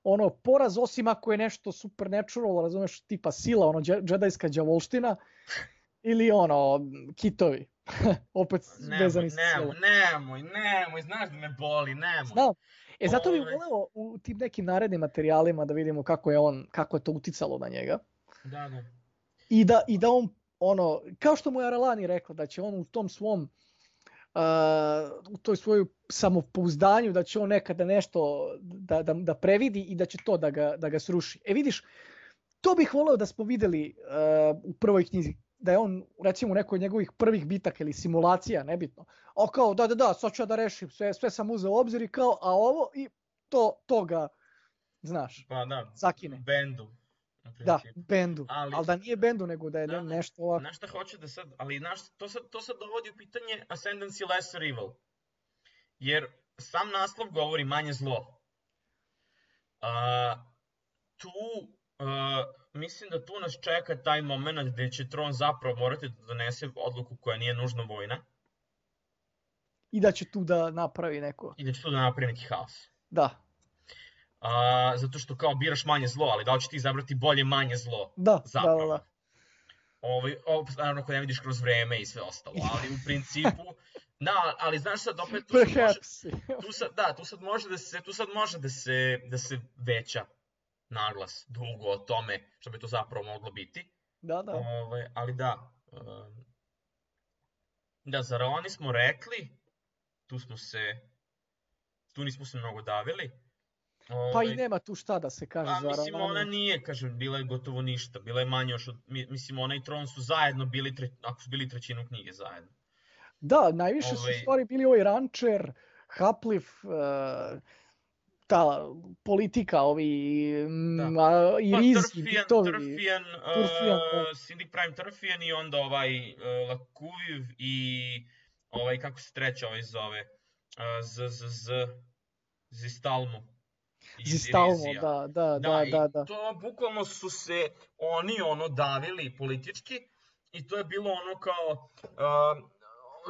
ono poraz, osim ako je nešto supernatural, razumeš, tipa sila, ono, dže- džedajska đavolština, ili ono, kitovi. Opet Nemoj, vezani sa silom. nemoj, nemoj, nemoj, znaš da me boli, nemoj. Znam. E, zato bih Ovaj. voleo u tim nekim narednim materijalima da vidimo kako je on, kako je to uticalo na njega. Da, da. I da, i da on, ono, kao što mu je Aralani rekla, da će on u tom svom, uh, u toj svoju samopouzdanju, da će on nekada nešto da, da, da previdi i da će to da ga, da ga sruši. E vidiš, to bih voleo da smo videli uh, u prvoj knjizi, da je on, recimo, u nekoj od njegovih prvih bitaka ili simulacija, nebitno. O kao, da, da, da, sad ću ja da rešim, sve, sve sam uzeo u obzir i kao, a ovo, i to, to ga, znaš, Pa da, zakine. bendu. na Da, principu. bendu. Ali- Ali da nije bendu, nego da je Da, ne- da. nešto ovako. Znaš šta hoće da sad, ali znaš, to sad, to sad dovodi u pitanje Ascendancy Lesser Evil. Jer sam naslov govori manje zlo. A, tu, a, mislim da tu nas čeka taj moment gde će Tron zapravo morati da donese odluku koja nije nužno vojna I da će tu da napravi neko. i da će tu da napravi neki haos. Da, A, zato što kao biraš manje zlo, ali da li će ti izabrati bolje manje zlo? da, da, Zapravo. da, da. Ovaj, ovo, naravno ako ne vidiš kroz vreme i sve ostalo, ali u principu, da, ali znaš sad opet tu sad može, Perhaps. tu sad, da, tu sad može da se, tu sad može da se, da se veća naglas dugo o tome što bi to zapravo moglo biti. Da, da. Ovaj, ali da, um, da, zar oni smo rekli, tu smo se, tu nismo se mnogo davili. Pa Ovaj, i nema tu šta da se kaže Pa za mislim Aralani. ona nije, kažem, bila je gotovo ništa, bila je manje još od, mi- mislim ona i Tron su zajedno bili, tre, ako su bili trećinu knjige zajedno. Da, najviše su u Ovaj- stvari bili ovaj Rancher, Haplif, uh, ta politika, ovi mm, a, i Pa Riz, i Trfian, Bitovi. Trfian, Turfijan, uh, da. Syndic Prime Trfian i onda ovaj uh, Lakuviv i ovaj, kako se treća ovaj zove, uh, Z, Z, Z, Zistalmu. iz Zistalmo, Irizija. da, da, Da, da, i da, da. to bukvalno su se oni ono davili politički i to je bilo ono kao uh,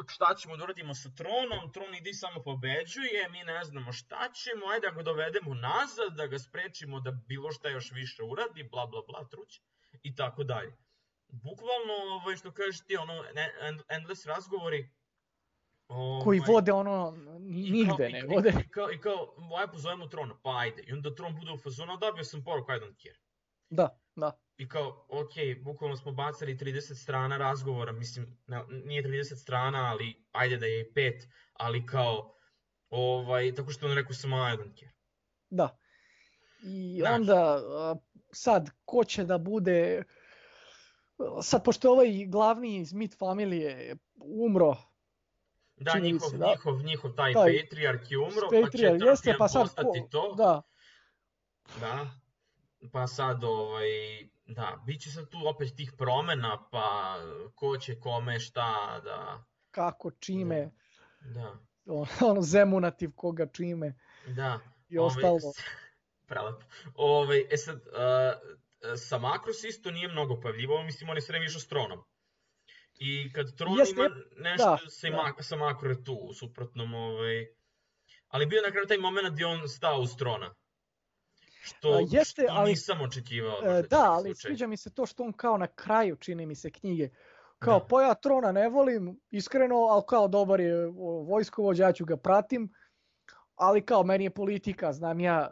šta ćemo da uradimo sa Tronom, Tron ide i samo pobeđuje, mi ne znamo šta ćemo, ajde da ga dovedemo nazad, da ga sprečimo da bilo šta još više uradi, bla bla bla truć i tako dalje. bukvalno, ovaj, što kažeš ti, ono, end, endless razgovori, koji ovaj, vode ono, i nigde kao, ne i, vode. I kao, i kao, aj pozovemo Trona, pa ajde. I onda Tron bude u fazonu, a dobio sam poruku, I don't care. Da, da. I kao, ok, bukvalno smo bacali trideset strana razgovora, mislim, ne, nije trideset strana, ali ajde da je i pet, ali kao, ovaj, tako što on rekao samo I don't care. Da. I Znaš. onda a, sad, ko će da bude, sad pošto je ovaj glavni iz Meat familije umro, Da, čini mi njihov, se, da? njihov, njihov taj, Taj patrijarh je umro, Patriarh, pa će jeste, Tarkijan pa sad postati ko- to. Da, Da. Pa sad, ovaj, da, bit će sad tu opet tih promena, pa ko će kome šta, da, kako, čime, da, ono Zemunativ koga čime da. i Ovaj, ostalo. s- Prelepo. Ovaj, e sad, uh, sa Makros isto nije mnogo pojavljivao, mislim, on je sve vreme išao s Tronom. I kad Tron Jeste, ima nešto da, sa, da. Mak- sa Makro je tu, u suprotnom, ovaj, ali bio je na kraju taj moment gdje on stao uz Trona. Što, A, jeste, što ali- nisam očekivao. E, možda da, taj ali slučaj. sviđa mi se to što on kao na kraju, čini mi se, knjige, kao Da. pa ja Trona ne volim, iskreno, ali kao dobar je o, vojskovođa, ja ću ga pratim, ali kao meni je politika, znam ja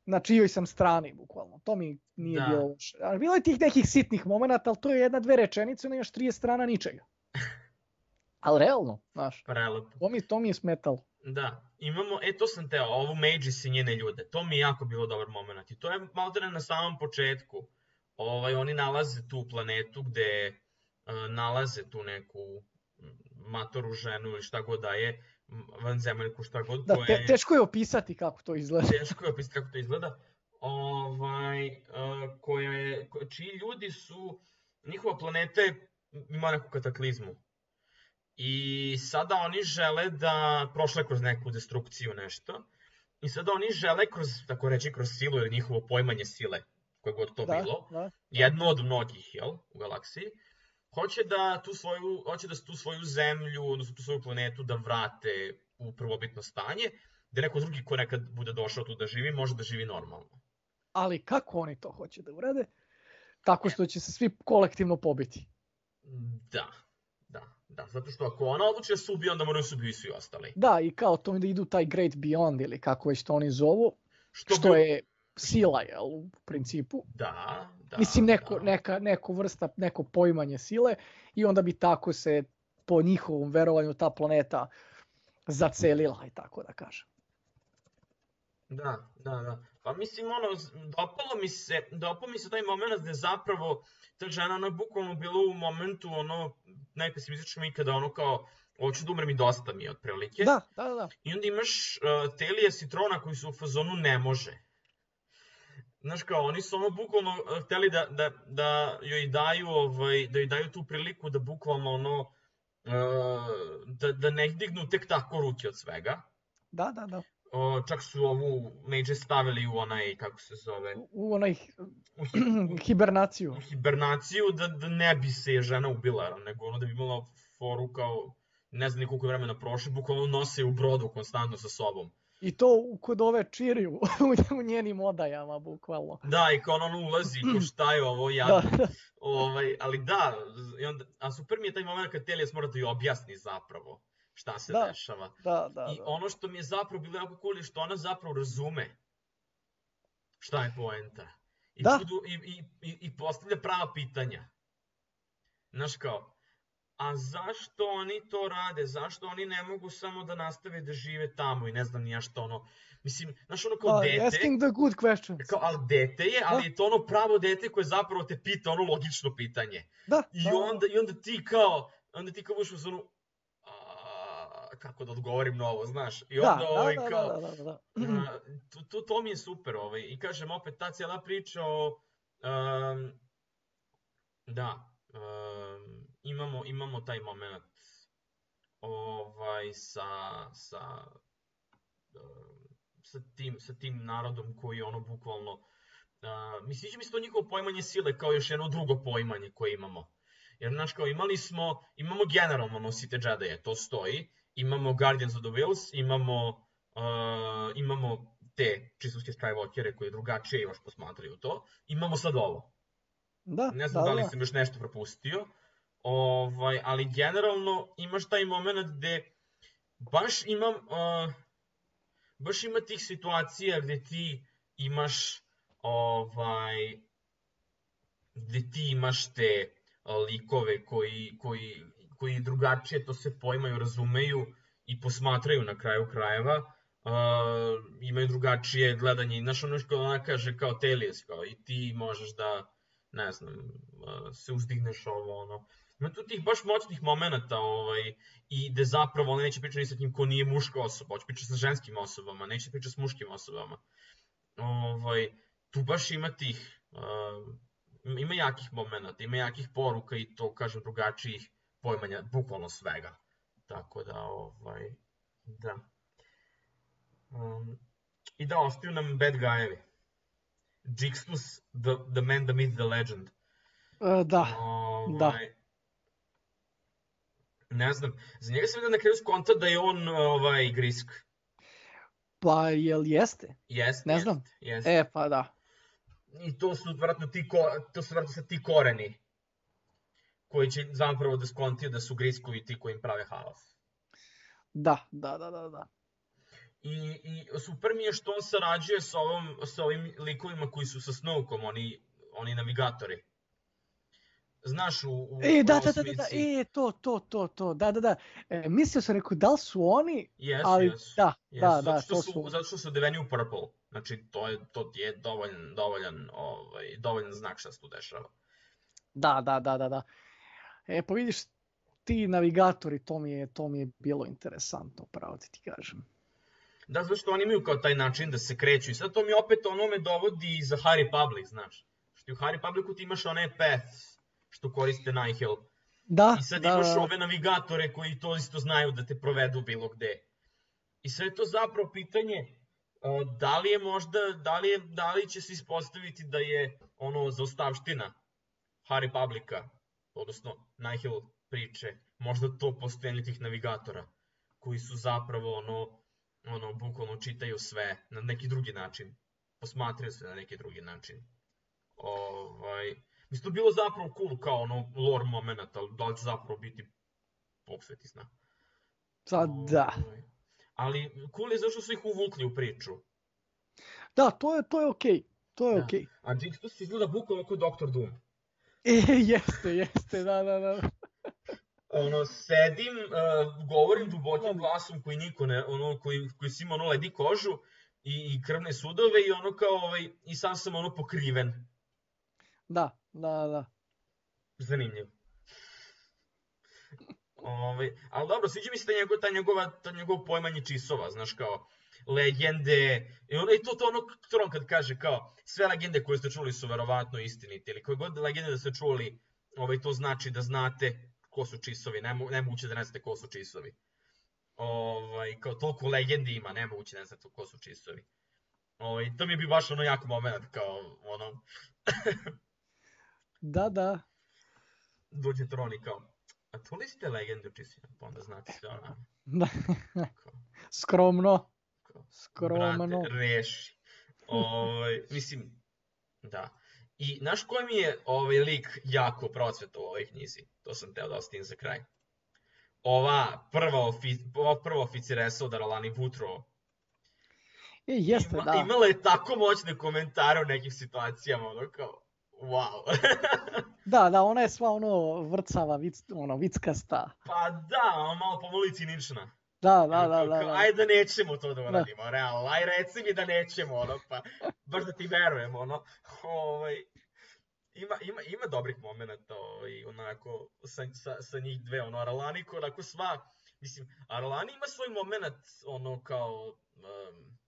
na čijoj sam strani, bukvalno. To mi nije Da. bilo loše. Ali bilo je tih nekih sitnih momenata, ali to je jedna, dve rečenice, nemaš trideset strana ničega. Ali realno, znaš, Prelepo. to mi, to mi je smetalo. Da, imamo, e to sam teo, ovu Maegis i njene ljude, to mi je jako bilo dobar moment i to je maltene na samom početku. Ovaj, oni nalaze tu planetu gde uh, nalaze tu neku matoru ženu ili šta god da je, m, vanzemaljku šta god, Da, koja te, je, teško je opisati kako to izgleda. teško je opisati kako to izgleda, ovaj, uh, koja je, ko- čiji ljudi su, njihova planeta je, ima neku kataklizmu. I sada oni žele da prošle kroz neku destrukciju nešto. I sada oni žele kroz, tako reći, kroz silu ili njihovo poimanje sile, koje god to Da, bilo, da. jedno od mnogih, jel, u galaksiji, hoće da tu svoju, hoće da tu svoju zemlju, odnosno tu svoju planetu da vrate u prvobitno stanje, da neko drugi ko nekad bude došao tu da živi, može da živi normalno. Ali kako oni to hoće da urade? Tako što će se svi kolektivno pobiti. Da, da, da, zato što ako ona odluči da se ubije, onda moraju se ubiju i svi ostali. Da, i kao to da idu taj Great Beyond ili kako već to oni zovu, Što, što bi- je sila, jel, u principu. Da, da. Mislim, neko, da. neka, neko vrsta, neko poimanje sile i onda bi tako se po njihovom verovanju ta planeta zacelila i tako da kažem. Da, da, da. Pa mislim, ono, z- dopalo mi se, dopao mi se taj moment gde zapravo ta žena, ona je bukvalno bila u momentu, ono, najpesimističnom ikada, ono kao, hoću da umrem i dosta mi je, otprilike. Da, da, da. I onda imaš uh, Telija i Trona koji su u fazonu ne može. Znaš kao, oni su ono bukvalno uh, hteli da, da, da joj daju, ovaj, da joj daju tu priliku da bukvalno ono, uh, da, da ne dignu tek tako ruke od svega. Da, da, da. O, čak su ovu Maegis stavili u onaj, kako se zove, U, u onaj u, hi- u, hibernaciju. u hibernaciju, da, da ne bi se žena ubila, nego ono da bi imala foru kao, ne znam ni koliko je vremena prošlo, bukvalno nose u brodu konstantno sa sobom. I to u- kod ove Čiri u, u njenim odajama, bukvalno. Da, i kao ono ulazi, kao šta je ovo, Da, jadno. Ovaj, ali da, i onda, a super mi je taj moment kad Telias mora da joj objasni zapravo šta se Da. dešava. da, da. I da. ono što mi je zapravo bilo jako cool je što ona zapravo razume šta je poenta. I, Da. čudu, i, i, i, i postavlja prava pitanja. Znaš kao, a zašto oni to rade? Zašto oni ne mogu samo da nastave da žive tamo i ne znam ni ja što ono. Mislim, znaš ono kao Da, dete, asking the good questions. kao, ali dete je, ali Da. je to ono pravo dete koje zapravo te pita ono logično pitanje. Da, I da, da. onda, i onda ti kao, onda ti kao budeš u zonu, "A, kako da odgovorim na ovo, znaš? I Da, onda da, ovaj, da, kao, da, da, da, da. a, to, to, to mi je super, ovaj. I kažem opet, ta cijela priča o, um, da, um, imamo, imamo taj moment ovaj, sa, sa, um, sa, tim, sa tim narodom koji ono bukvalno, uh, mi sviđa mi se to njihovo poimanje sile kao još jedno drugo poimanje koje imamo. Jer, znaš, kao imali smo, imamo generalno nosite Jedi, to stoji, imamo Guardians of the Whills, imamo, uh, imamo te čistoske Skywalkere koji drugačije još posmatraju to, imamo sad ovo. Da, Ne znam da, da li da. sam još nešto propustio, ovaj, ali generalno imaš taj moment gde baš imam, uh, baš ima tih situacija gde ti imaš, ovaj, gde ti imaš te uh, likove koji, koji, koji drugačije to se poimaju, razumeju i posmatraju na kraju krajeva, uh, imaju drugačije gledanje. Znaš, ono što ona kaže kao Telius, kao i ti možeš da, ne znam, uh, se uzdigneš ovo, ono. Ima tu tih baš moćnih momenta, ovaj, i gde zapravo ona neće pričati ni sa kim ko nije muška osoba, hoće pričati sa ženskim osobama, neće pričati s muškim osobama. Ovaj, tu baš ima tih, uh, ima jakih momenta, ima jakih poruka i to, kažem, drugačijih pojmanja, bukvalno svega. Tako da, ovaj, da. Um, I da, ostaju nam bad guy-evi. Jixtus, the, the man, the myth, the legend. E, da, da. Ovaj, ne znam, za njega sam vidio na kraju skonta da je on ovaj, grisk. Pa jel jeste? Jeste, Ne znam. jeste, jeste. E, pa da. I to su vratno ti, ko, to su vratno sad ti koreni koji će zapravo da skontiju da su griskovi ti koji im prave haos. Da, da, da, da, da. I, i super mi je što on sarađuje sa, ovom, sa ovim likovima koji su sa Snowkom, oni, oni navigatori. Znaš, u, u E, da, da, da, da, da, osmici... e, to, to, to, to, da, da, da. E, mislio sam, rekao, da li su oni, Jesu, ali jesu. da, Jesu, da, zato da, što to su, su. Zato što su odeveni u purple. Znači, to je, to je dovoljan, dovoljan, ovaj, dovoljan znak šta se tu dešava. Da, da, da, da, da. E, pa vidiš, ti navigatori, to mi je, to mi je bilo interesantno, pravo ti ti kažem. Da, zato što oni imaju kao taj način da se kreću. I sad to mi opet ono me dovodi za High Republic, znaš. Što u High Republicu ti imaš one paths što koriste Nihil. Da, I sad da, imaš da. ove navigatore koji to isto znaju da te provedu bilo gde. I sad je to zapravo pitanje uh, da li je možda, da li, je, da li će se ispostaviti da je ono zaostavština High Republica, odnosno Nihil priče, možda to postojanje tih navigatora koji su zapravo ono, ono, bukvalno čitaju sve na neki drugi način, posmatraju sve na neki drugi način. Ovaj, mislim, to bilo zapravo cool kao ono lore moment, ali da li će zapravo biti Bog sveti zna. Pa da. Ovaj, ali cool je zašto su ih uvukli u priču. Da, to je, to je okej, to je Da. okej. A Jixtus izgleda bukvalno kao doktor Doom. E, jeste, jeste, da, da, da. Ono, sedim, uh, govorim dubokim glasom koji niko ne, ono, koji, koji si ima ono ledi kožu i, i krvne sudove i ono kao, ovaj, i sam sam ono pokriven. Da, da, da. Zanimljivo. Ovaj, ali dobro, sviđa mi se ta njegova, ta njegova, ta njegov pojmanje čisova, znaš, kao legende, i ono, i to, to ono, Tron kad kaže kao, sve legende koje ste čuli su verovatno istinite, ili koje god legende da ste čuli, ovaj, to znači da znate ko su čisovi, Nemo, nemoguće da ne znate ko su čisovi. Ovaj, kao toliko legendi ima, nemoguće da ne znate ko su čisovi. Ovaj, to mi je bio baš ono jako moment, kao ono... Da, da. Dođe Tron i kao, a to li ste legende o čisima? Pa onda znate sve ono. Da. Kao, Skromno. kao, Skromno. brate, reši. Ovaj, mislim, da. I znaš koji mi je ovaj lik jako procvetao u ovoj knjizi? To sam teo da ostavim za kraj. Ova prva, ofi, ova prva oficiresa od Aralani Woodrow. E, jeste, Ima, da. imala je tako moćne komentare u nekim situacijama, ono kao, wow. Da, da, ona je sva ono vrcava, vic, ono, vickasta. Pa da, ono malo pomalo cinična. Da, da, da, Kao, da, kao, da. ajde da nećemo to da uradimo, da. Realno, aj reci mi da nećemo, ono, pa baš da ti verujem, ono, ovaj, ima, ima, ima dobrih momenta, ovaj, onako, sa, sa, sa njih dve, ono, Aralani, onako sva, mislim, Aralani ima svoj moment, ono, kao, um,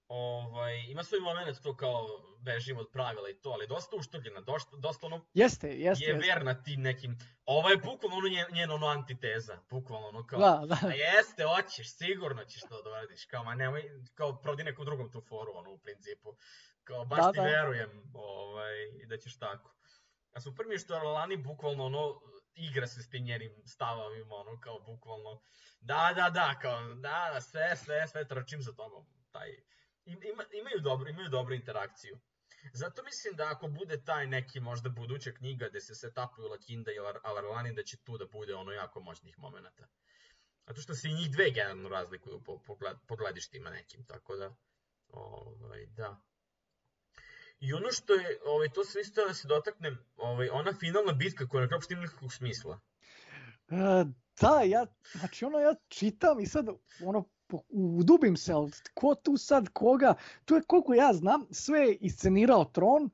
ovaj, ima svoj moment to kao bežimo od pravila i to, ali dosta uštogljena, dosta, dosta ono, Jeste, jeste. je jeste. verna tim nekim, ovo je bukvalno ono njen, njen ono antiteza, bukvalno ono kao, Da, da. a jeste, hoćeš, sigurno ćeš to da uradiš, kao, ma nemoj, kao, prodi nekom drugom tu foru, ono, u principu, kao, baš Da, ti da. verujem, ovaj, i da ćeš tako. A super mi je što Aralani bukvalno, ono, igra se s tim njenim stavovima, ono, kao, bukvalno, da, da, da, kao, da, da, sve, sve, sve, trčim za tobom, taj, ima, imaju, dobro, imaju dobru interakciju. Zato mislim da ako bude taj neki možda buduća knjiga gde se setapuju Lakinda i Alarlani, da će tu da bude ono jako moćnih momenata. Zato što se i njih dve generalno razlikuju po, po, po gledištima nekim, tako da, ovaj, da. I ono što je, ovaj, to sam isto da se dotaknem, ovaj, ona finalna bitka koja na kraju nema nikakvog smisla. E, da, ja, znači ono ja čitam i sad ono, udubim se, ali ko tu sad koga, tu je koliko ja znam, sve je iscenirao Tron,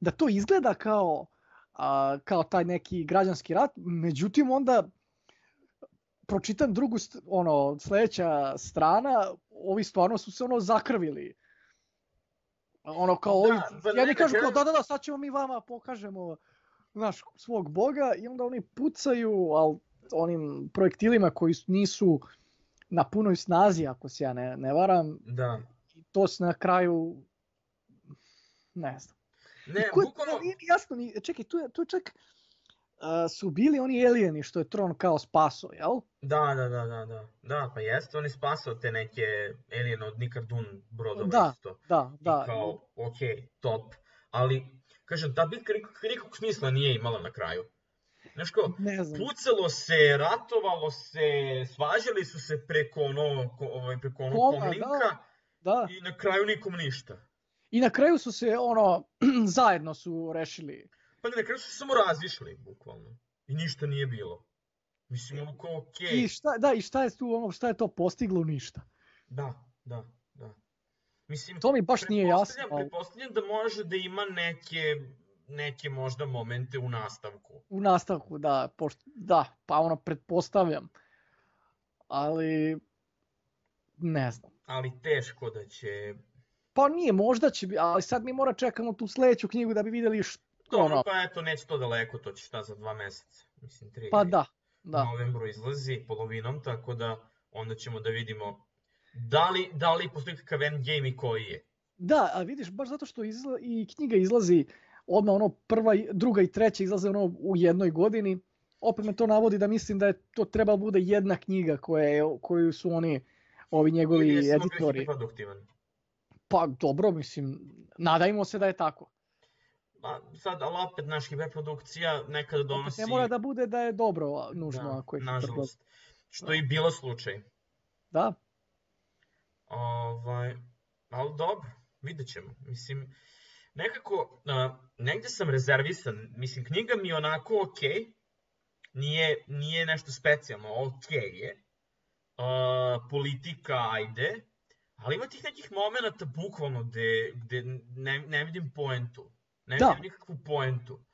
da to izgleda kao, a, kao taj neki građanski rat, međutim onda pročitam drugu, ono, sledeća strana, ovi stvarno su se ono zakrvili. Ono kao, ovi, da, jedni kažu kao da, da, da, sad ćemo mi vama pokažemo naš svog boga i onda oni pucaju, ali onim projektilima koji nisu na punoj snazi, ako se ja ne, ne varam. Da. I to se na kraju, ne znam. Ne, ko, bukvalno... Nije mi jasno, ni, čekaj, tu je, tu je čak, uh, su bili oni alijeni što je Tron kao spaso, jel? Da, da, da, da, da, da, pa jeste, on je spasao te neke alijene od Nikardun brodova da, isto. Da, da, I kao, okej, okay, top, ali, kažem, ta bitka nikakvog smisla nije imala na kraju. Znaš kao, pucalo se, ratovalo se, svađali su se preko ono, ovaj, preko ono Koma, komlinka da, da. I na kraju nikom ništa. I na kraju su se, ono, zajedno su rešili. Pa ne, na kraju su se samo razišli, bukvalno. I ništa nije bilo. Mislim, ono kao, okej. Okay. I šta, da, i šta je tu, ono, šta je to postiglo? Ništa. Da, da, da. Mislim, to mi baš nije jasno. Ali... Pretpostavljam da može da ima neke... neke možda momente u nastavku. U nastavku, da, pošto, da, pa ono pretpostavljam. Ali, ne znam. Ali teško da će... Pa nije, možda će biti, ali sad mi mora čekamo tu sledeću knjigu da bi videli što ono... Pa eto, neće to daleko, to će šta za dva meseca, mislim tri. Pa da, da. U novembru izlazi polovinom, tako da onda ćemo da vidimo da li, da li postoji kakav endgame i koji je. Da, a vidiš, baš zato što izla, i knjiga izlazi odmah ono prva, druga i treća izlaze ono u jednoj godini. Opet me to navodi da mislim da je to trebalo bude jedna knjiga koje, koju su oni, ovi njegovi ili je editori. Produktivan. Pa dobro, mislim, nadajmo se da je tako. Pa sad, ali opet naš hiperprodukcija nekada donosi... Opet ne mora da bude da je dobro, nužno. Da, ako je nažalost. Što je i bilo slučaj. Da. Ovaj, ali dobro, vidjet ćemo. Mislim... Nekako, uh, negde sam rezervisan, mislim, knjiga mi je onako okej, okay. nije, nije nešto specijalno, okej okay je, uh, politika, ajde, ali ima tih nekih momenta bukvalno gde, gde ne, ne vidim poentu, ne vidim nikakvu poentu.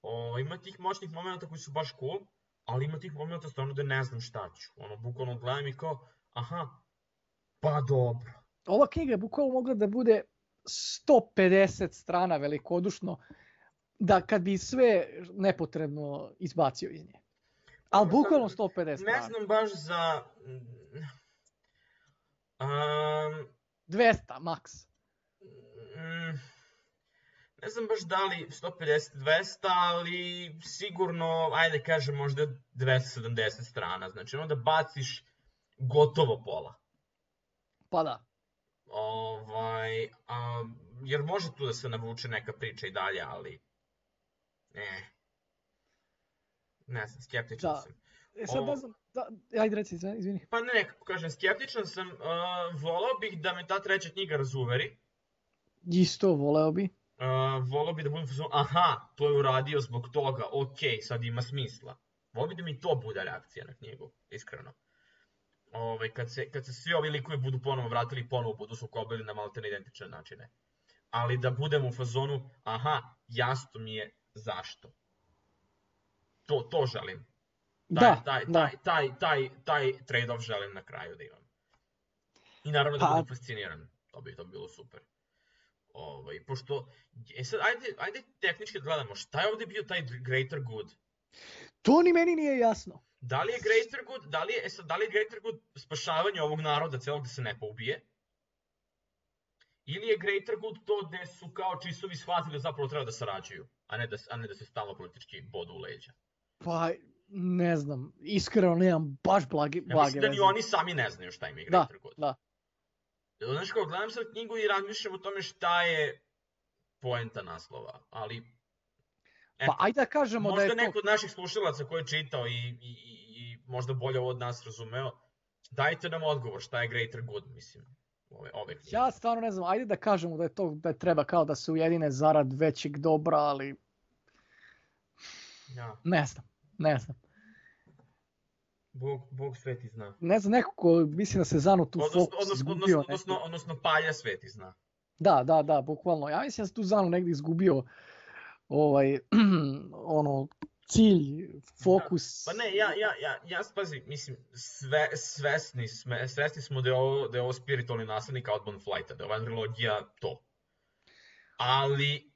Uh, ima tih moćnih momenta koji su baš cool, ali ima tih momenta stvarno da ne znam šta ću, ono, bukvalno gledam i kao, aha, pa dobro. Ova knjiga je bukvalno mogla da bude sto pedeset strana velikodušno, da kad bi sve nepotrebno izbacio iz nje. Ali bukvalno sto pedeset strana. Ne znam baš za... Um, dvesta, maks. Um, ne znam baš da li sto pedeset dvesta, ali sigurno, ajde kažem, možda dvesta sedamdeset strana. Znači, onda baciš gotovo pola. Pa da. Ovaj, a, jer može tu da se navuče neka priča i dalje, ali ne, ne znam, skeptičan da. sam. E sad ne znam, da, ajde reci, izvini. Pa ne, nekako kažem, skeptičan sam, uh, volao bih da me ta treća knjiga razuveri. Isto, voleo bi. Uh, volao bih da budem fazon, aha, to je uradio zbog toga, okej, sad ima smisla. Volao bih da mi to bude reakcija na knjigu, iskreno. Ovaj, kad, se, kad se svi ovi likovi budu ponovo vratili i ponovo budu sukobili na maltene identične načine. Ali da budem u fazonu, aha, jasno mi je zašto. To, to želim. Taj, da, taj, da. Taj, taj, taj, taj trade-off želim na kraju da imam. I naravno da pa... budem fasciniran. To bi to bilo super. Ovaj, pošto, e sad, ajde, ajde tehnički da gledamo, šta je ovdje bio taj greater good? To ni meni nije jasno. Da li je greater good, da li je, sad, da li je greater good spašavanje ovog naroda celog da se ne poubije? Ili je greater good to gde su kao čistovi shvatili da zapravo treba da sarađuju, a ne da, a ne da se stalno politički bodu u leđa? Pa, ne znam, iskreno nemam baš blage veze. Ja mislim da ni oni sami ne znaju šta im je greater good. Da, da. Znaš kao, gledam sad knjigu i razmišljam o tome šta je poenta naslova, ali Pa eto, ajde da kažemo da je možda to... neko od naših slušalaca koji je čitao i, i, i, i možda bolje ovo od nas razumeo, dajte nam odgovor šta je greater good, mislim, ove, ove knjige. Ja stvarno ne znam, ajde da kažemo da je to da je treba kao da se ujedine zarad većeg dobra, ali Ja, ne znam, ne znam. Bog, Bog sveti zna. Ne znam, neko ko mislim da se Zanu tu Odnosno, fokus odnosno, izgubio. odnosno, odnosno, odnosno Palja sveti zna. Da, da, da, bukvalno. Ja mislim da se tu Zanu negdje izgubio ovaj, ono, cilj, fokus. Da. Pa ne, ja, ja, ja, ja spazi, mislim, sve, svesni, sme, svesni smo da je ovo, da je ovo spiritualni naslednik Outbound Flighta, da je ova trilogija to. Ali,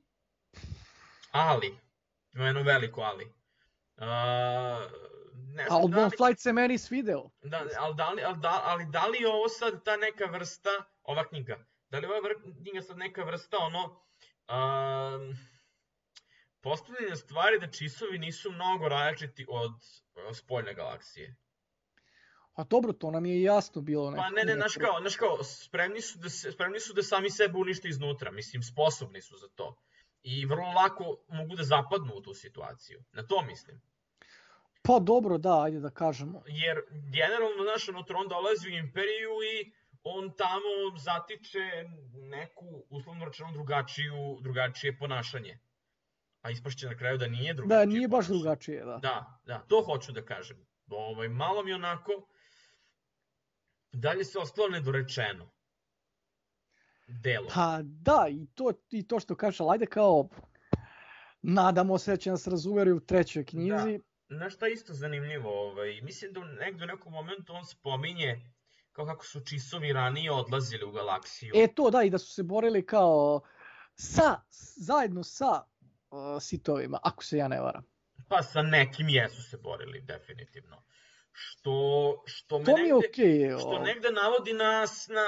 ali, ima jedno veliko ali. Uh, ne znam Outbound da li, Flight se meni svideo. da, ali, da li, ali, da, ali da li je ovo sad ta neka vrsta, ova knjiga, da li je ova vr- knjiga sad neka vrsta ono, uh, postavljanje stvari da čisovi nisu mnogo različiti od uh, spoljne galaksije. A dobro, to nam je jasno bilo. Pa ne, ne, znaš kao, znaš kao, spremni su, da se, spremni su da sami sebe unište iznutra, mislim, sposobni su za to. I vrlo lako mogu da zapadnu u tu situaciju, na to mislim. Pa dobro, da, ajde da kažemo. Jer generalno, znaš, ono, Tron dolazi u Imperiju i on tamo zatiče neku, uslovno rečeno, drugačiju, drugačije ponašanje. A ispašće na kraju da nije drugačije. Da, nije baš ponašanje. drugačije, da. Da, da, to hoću da kažem. Ovaj, malo mi onako, dalje se ostalo nedorečeno. Delo. Pa da, i to, i to što kažeš, ali ajde kao, nadamo se da će nas razumjeri u trećoj knjizi. Da. Znaš šta je isto zanimljivo? Ovaj, mislim da negdje u nekom momentu on spominje kao kako su čisovi ranije odlazili u galaksiju. E to da, i da su se borili kao sa, zajedno sa uh, sitovima, ako se ja ne varam. Pa sa nekim jesu se borili, definitivno. Što, što, me To mi je negde, okej. što negde navodi na,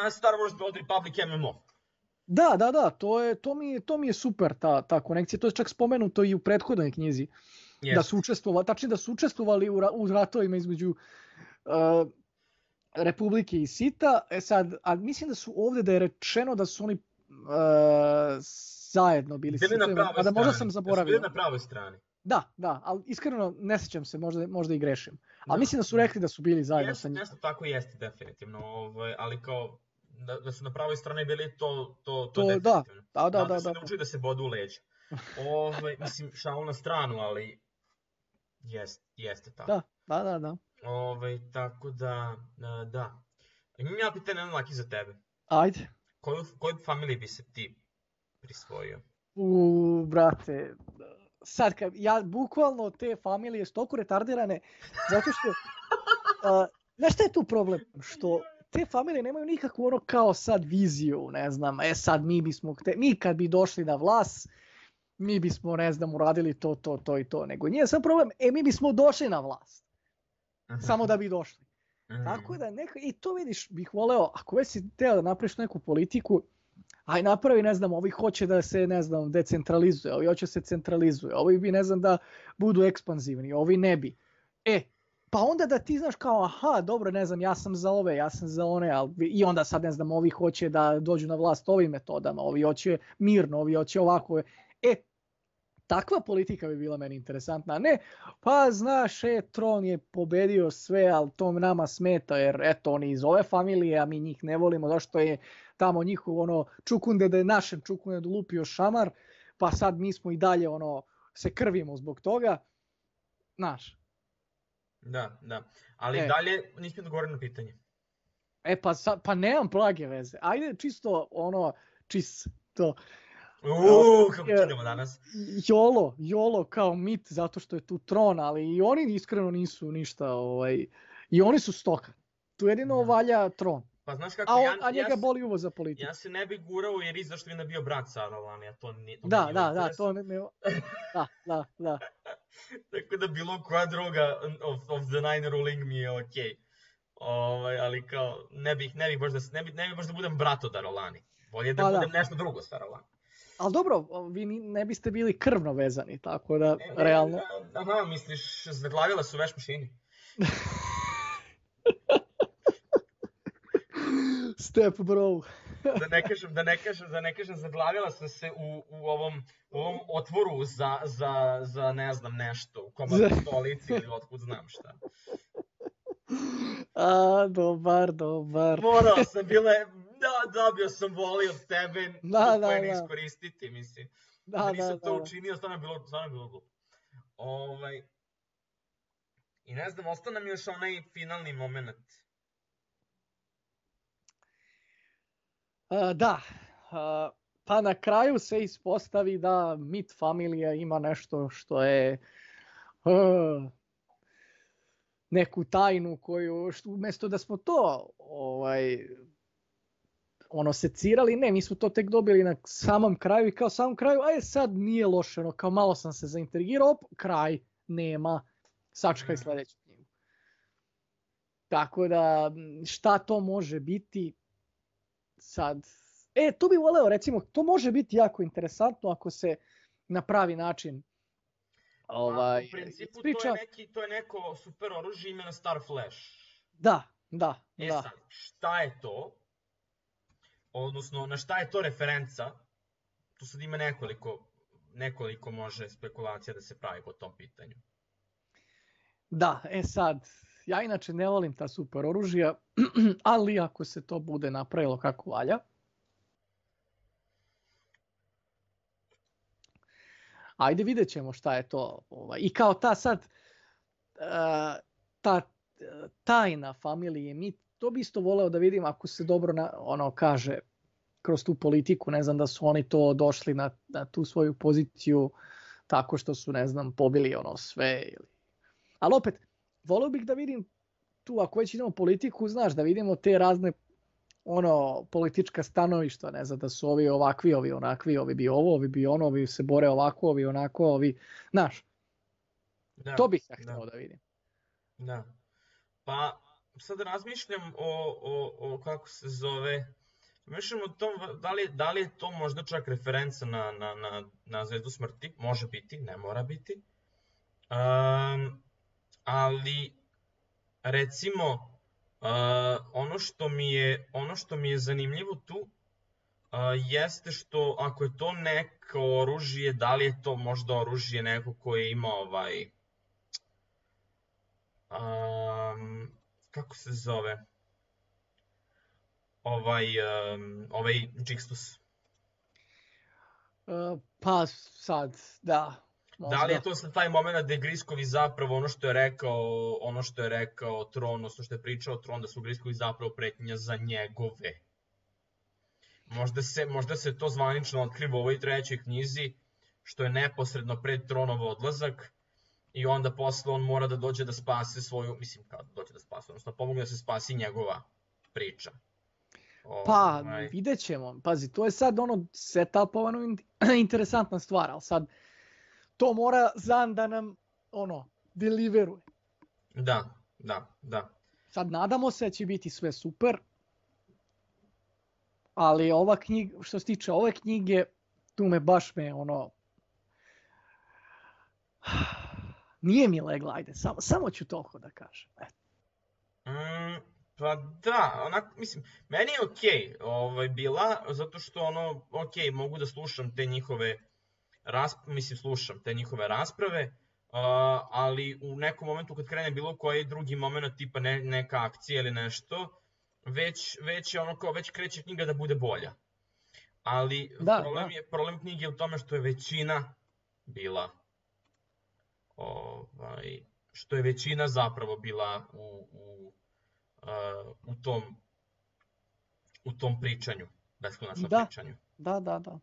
na Star Wars The Old Republic M M O. Da, da, da, to, je, to, mi, je, to mi je super ta, ta konekcija. To je čak spomenuto i u prethodnoj knjizi. Yes. Da su učestvovali, tačnije da su učestvovali u, ra, u ratovima između uh, Republike i Sita. E sad, a mislim da su ovdje da je rečeno da su oni uh, zajedno bili Bili na Sitovima, pravoj a da možda strani. sam Da su zaboravio. bili na pravoj strani. Da, da, ali iskreno ne sjećam se, možda, možda i grešim. Ali Da. mislim da su rekli da su bili zajedno Jeste, sa njim. nešto tako jeste, definitivno. Ovaj, ali kao, da, da su na pravoj strani bili, to, to, to, To, je da, definitivno. da, da, Znam da, da se da. nauči da se bodu u leđa. Ovaj, mislim, šalu na stranu, ali jest, jeste tako. Da, da, da, da. Ovaj, tako da, a, da. Imam ja pitanje, jedan laki za tebe. Ajde. Koju, koju familiju bi se ti prisvojio? U, brate, sad kad, ja bukvalno te familije su toliko retardirane, zato što, uh, znaš šta je tu problem? Što te familije nemaju nikakvu ono kao sad viziju, ne znam, e sad mi bismo, te, mi kad bi došli na vlast, mi bismo, ne znam, uradili to, to, to i to, nego nije sam problem, e mi bismo došli na vlast, samo da bi došli. Mm. Tako da neka, i to vidiš, bih voleo, ako već si teo da napraviš neku politiku, aj napravi, ne znam, ovi hoće da se, ne znam, decentralizuje, ovi hoće se centralizuje, ovi bi, ne znam, da budu ekspanzivni, ovi ne bi. E, pa onda da ti znaš kao, aha, dobro, ne znam, ja sam za ove, ja sam za one, ali, i onda sad, ne znam, ovi hoće da dođu na vlast ovim metodama, ovi hoće mirno, ovi hoće ovako. E, takva politika bi bila meni interesantna, a ne, pa znaš, e, Tron je pobedio sve, ali to nama smeta, jer eto, oni iz ove familije, a mi njih ne volimo, zašto je tamo njihov ono čukunde da je našem čukunde lupio šamar, pa sad mi smo i dalje ono se krvimo zbog toga, znaš. Da, da. Ali E. dalje nismo odgovorili na pitanje. E pa, sa, pa nemam blage veze, ajde čisto ono, čist to, Uuu, kako idemo danas. jolo, jolo kao mit zato što je tu Tron, ali i oni iskreno nisu ništa, ovaj, i oni su stoka. Tu jedino Da. valja Tron. Pa znaš kako, A, on, ja, a njega ja, se- boli uvo za politiku. ja se ne bi gurao jer i zašto bi ne bio brat Saralani, a to nije, to mi Da, nije da, da, interes. to ne, ne, da, da, da. Tako da bilo koja druga of, of the nine ruling mi je okej. Ovaj, ali kao, ne bih, ne bih baš da, s- ne bih, ne bih baš da budem brat od Darolani. Bolje da Pa da. budem nešto drugo s Darolani. Ali dobro, vi ni- ne biste bili krvno vezani, tako da, E, realno. e, Aha, misliš, zaglavila su veš mašini. Step bro. da ne kažem, da ne kažem, da ne kažem, zaglavila sam se u, u ovom, u ovom otvoru za, za, za ne znam nešto, u komadu stolici ili otkud znam šta. A, dobar, dobar. Morao sam, bila je, da, dobio sam voli od tebe, Da, da, koje ne da. iskoristiti, mislim. Da, Da da, nisam da, to da. učinio, stvarno je bilo, stvarno je bilo glupo. Ovaj, I ne znam, ostao nam još onaj finalni moment. A, da, a, pa na kraju se ispostavi da Mit familija ima nešto što je a, neku tajnu koju, što, umjesto da smo to ovaj, ono secirali, ne, mi smo to tek dobili na samom kraju i kao samom kraju, aj sad nije loše, ono, kao malo sam se zaintrigirao, op, kraj, nema, sačekaj sljedeću knjigu. Tako da, šta to može biti sad? E, tu bih voleo, recimo, to može biti jako interesantno ako se na pravi način ovaj, Pa, u principu ispriča. to je, neki, to je neko super oružje imena Star Flash. Da, da, E da. sad, šta je to? Odnosno, na šta je to referenca? Tu sad ima nekoliko, nekoliko može spekulacija da se pravi po tom pitanju. Da, e sad, ja inače ne volim ta super oružja, ali ako se to bude napravilo kako valja, ajde vidjet ćemo šta je to. Ovaj. I kao ta sad, uh, ta tajna familije, mi to bi isto voleo da vidim ako se dobro na, ono kaže kroz tu politiku, ne znam da su oni to došli na, na tu svoju poziciju tako što su, ne znam, pobili ono sve. Ili... Ali opet, voleo bih da vidim tu, ako već idemo politiku, znaš, da vidimo te razne ono politička stanovišta, ne znam, da su ovi ovakvi, ovi onakvi, ovi bi ovo, ovi bi ono, ovi se bore ovako, ovi onako, ovi, znaš, Da, to bih ja da. htio da vidim. Da. Pa sad razmišljam o, o, o kako se zove, razmišljam o tom, da li, da li je to možda čak referenca na, na, na, na Zvezdu smrti, može biti, ne mora biti. Um, ali recimo uh, ono što mi je ono što mi je zanimljivo tu uh, jeste što ako je to neko oružje, da li je to možda oružje neko koje ima ovaj um, kako se zove ovaj um, ovaj Jixtus. Uh, pa sad, da. Možda. Da li je to sad taj moment da je Griskovi zapravo ono što je rekao, ono što je rekao Tron, odnosno što je pričao Tron, da su Griskovi zapravo pretnja za njegove. Možda se, možda se to zvanično otkriva u ovoj trećoj knjizi, što je neposredno pred Tronov odlazak i onda posle on mora da dođe da spase svoju, mislim kao da dođe da spase, odnosno pomogne da se spasi njegova priča. Pa, Ovaj, vidjet ćemo. Pazi, to je sad ono setupovano interesantna stvar, ali sad to mora Zan da nam ono deliveruje. Da, da, da. Sad nadamo se da će biti sve super, ali ova knjiga, što se tiče ove knjige, tu me baš me ono nije mi legla, ajde, samo, samo ću toliko da kažem. Eto. Mm, pa da, onak, mislim, meni je okej ovaj, bila, zato što ono, okej, mogu da slušam te njihove rasprave, mislim, slušam te njihove rasprave, uh, ali u nekom momentu kad krene bilo koji drugi moment, tipa ne, neka akcija ili nešto, već, već je ono kao, već kreće knjiga da bude bolja. Ali Da, problem, da. je, problem knjige je u tome što je većina bila, ovaj, što je većina zapravo bila u, u, uh, u, tom, u tom pričanju, beskonačnom Da. pričanju. Da, da, da.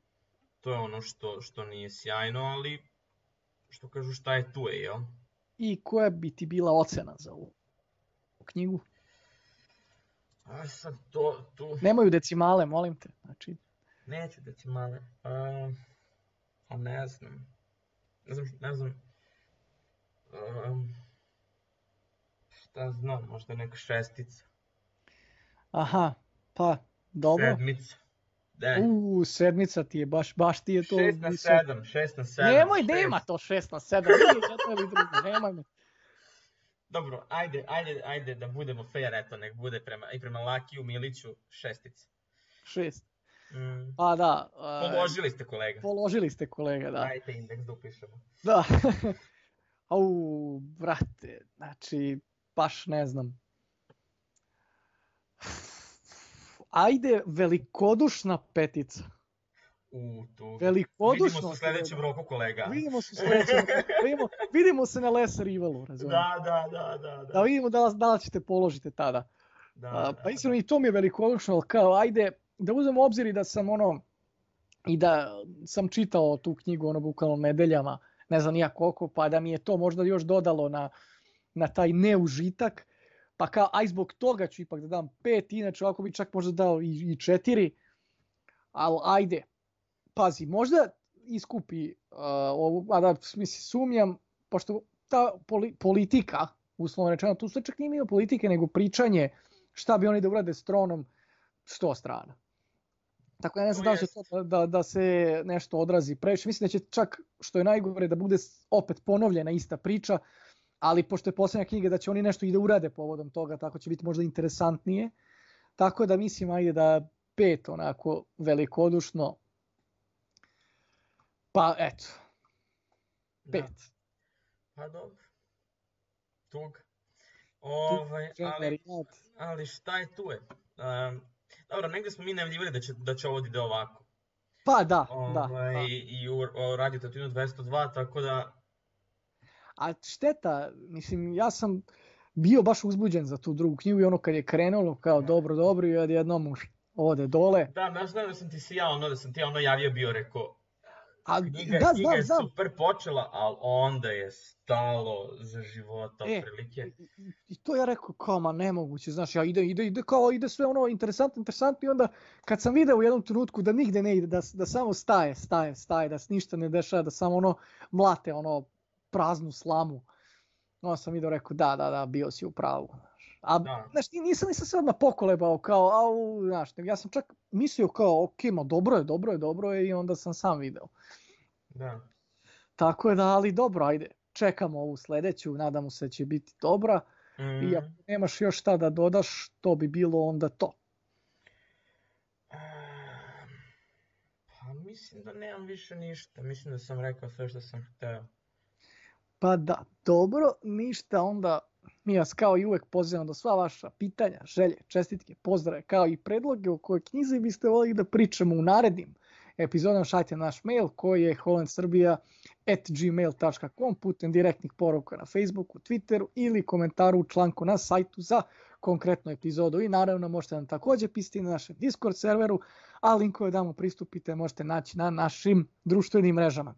To je ono što, što nije sjajno, ali što kažu šta je tu je, jel? I koja bi ti bila ocena za ovu knjigu? A sad to, tu... Nemaju decimale, molim te. Znači, Neću decimale. Um, a ne znam. Ne znam, ne znam. Um, šta znam, možda neka šestica. aha, pa, dobro. Sedmica. De. U, sedmica ti je, baš, baš ti je to. Šest na visoko. sedam, šest na sedam. Nemoj, šest. nema to šest na sedam, nije jedno ili drugo, nemoj me. Dobro, ajde, ajde, ajde da budemo fair, eto, nek bude prema, i prema Lakiju, Miliću, šestica. Šest. Mm. Pa da. Uh, Položili ste, kolega. Položili ste, kolega, da. Dajte indeks da upišemo. Da. Au, brate, znači, baš ne znam. Ajde, velikodušna petica. U, tu. Velikodušno. Vidimo se u sljedećem roku, kolega. Vidimo se u sljedećem roku. Vidimo, vidimo se na Lesser Evilu, razumiješ? Da, da, da, da, da. Da vidimo da, da li ćete položiti tada. Da, A, da, pa iskreno i to mi je velikodušno, ali kao, ajde, da uzmemo u obzir i da sam ono, i da sam čitao tu knjigu, ono, bukvalno nedeljama, ne znam nija koliko, pa da mi je to možda još dodalo na, na taj neužitak, pa kao, aj zbog toga ću ipak da dam pet, inače ovako bi čak možda dao i, i četiri, ali ajde, pazi, možda iskupi, uh, ovu, a da, mislim, sumnjam, pošto ta poli, politika, uslovno rečeno, tu sve čak nije bilo politike, nego pričanje šta bi oni da urade s tronom, sto strana. Tako ja ne znam da li će to da, da se nešto odrazi previše. Mislim da će čak, što je najgore, da bude opet ponovljena ista priča, ali pošto je posljednja knjiga da će oni nešto i da urade povodom toga, tako će biti možda interesantnije. Tako da mislim, ajde da pet onako velikodušno. Pa eto, pet. Da. Pa dobro. Tug. Ovaj, ali, ali šta je tu je? Um, dobro, negdje smo mi najavljivali da će, da će ovo ide ovako. Pa da, ovaj, da. da. I u, u Radio Tatooine dvjesto dva, tako da... A šteta, mislim, ja sam bio baš uzbuđen za tu drugu knjigu i ono kad je krenulo kao dobro, dobro i odjednom ode dole. Da, ja znam da sam ti si ja ono, da sam ti ja ono javio bio, rekao, A, knjiga, da, knjiga je znam, super počela, ali onda je stalo za života, e, otprilike. I, I to ja rekao, kao, ma nemoguće, znaš, ja ide, ide, ide, kao, ide sve ono interesantno, interesantno i onda kad sam video u jednom trenutku da nigde ne ide, da, da samo staje, staje, staje, da se ništa ne dešava, da samo ono mlate, ono praznu slamu, onda sam video, rekao, da, da, da, bio si u pravu. A, Da. znaš, nisam, nisam se odmah pokolebao, kao, au, znaš, ja sam čak mislio kao, ok, ma dobro je, dobro je, dobro je i onda sam sam video. Da. Tako je da, ali dobro, ajde, čekamo ovu sljedeću, nadamo se da će biti dobra. Mm. I ako nemaš još šta da dodaš, to bi bilo onda to. Pa mislim da nemam više ništa, mislim da sam rekao sve što sam hteo. Pa da, dobro, ništa, onda mi vas kao i uvek pozivamo da sva vaša pitanja, želje, čestitke, pozdrave, kao i predloge o kojoj knjizi biste volili da pričamo u narednim epizodama, šaljite naš mail koji je holandsrbija at gmail dot com putem direktnih poruka na Facebooku, Twitteru ili komentaru u članku na sajtu za konkretnu epizodu. I naravno možete nam također pisati na našem Discord serveru, a linkove da mu pristupite možete naći na našim društvenim mrežama.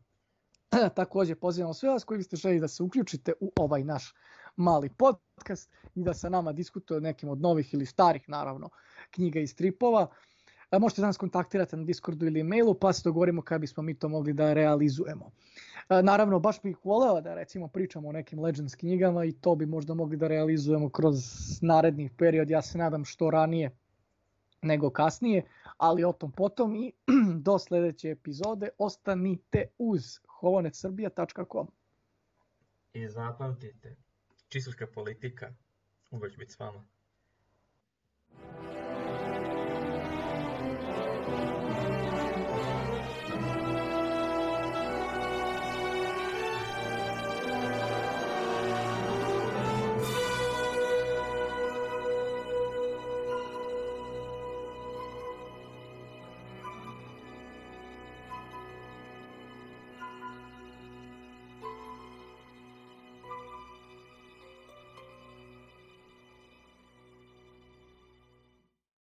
Također pozivamo sve vas koji biste želi da se uključite u ovaj naš mali podcast i da sa nama diskutuje o nekim od novih ili starih, naravno, knjiga i stripova. Možete nas kontaktirati na Discordu ili mailu pa se dogovorimo kada bismo mi to mogli da realizujemo. Naravno, baš bih voleo da recimo pričamo o nekim Legends knjigama i to bi možda mogli da realizujemo kroz naredni period. Ja se nadam što ranije nego kasnije, ali o tom potom i do sljedeće epizode ostanite uz holonet srbija dot com. I zapamtite, čistoška politika uvek biti s vama.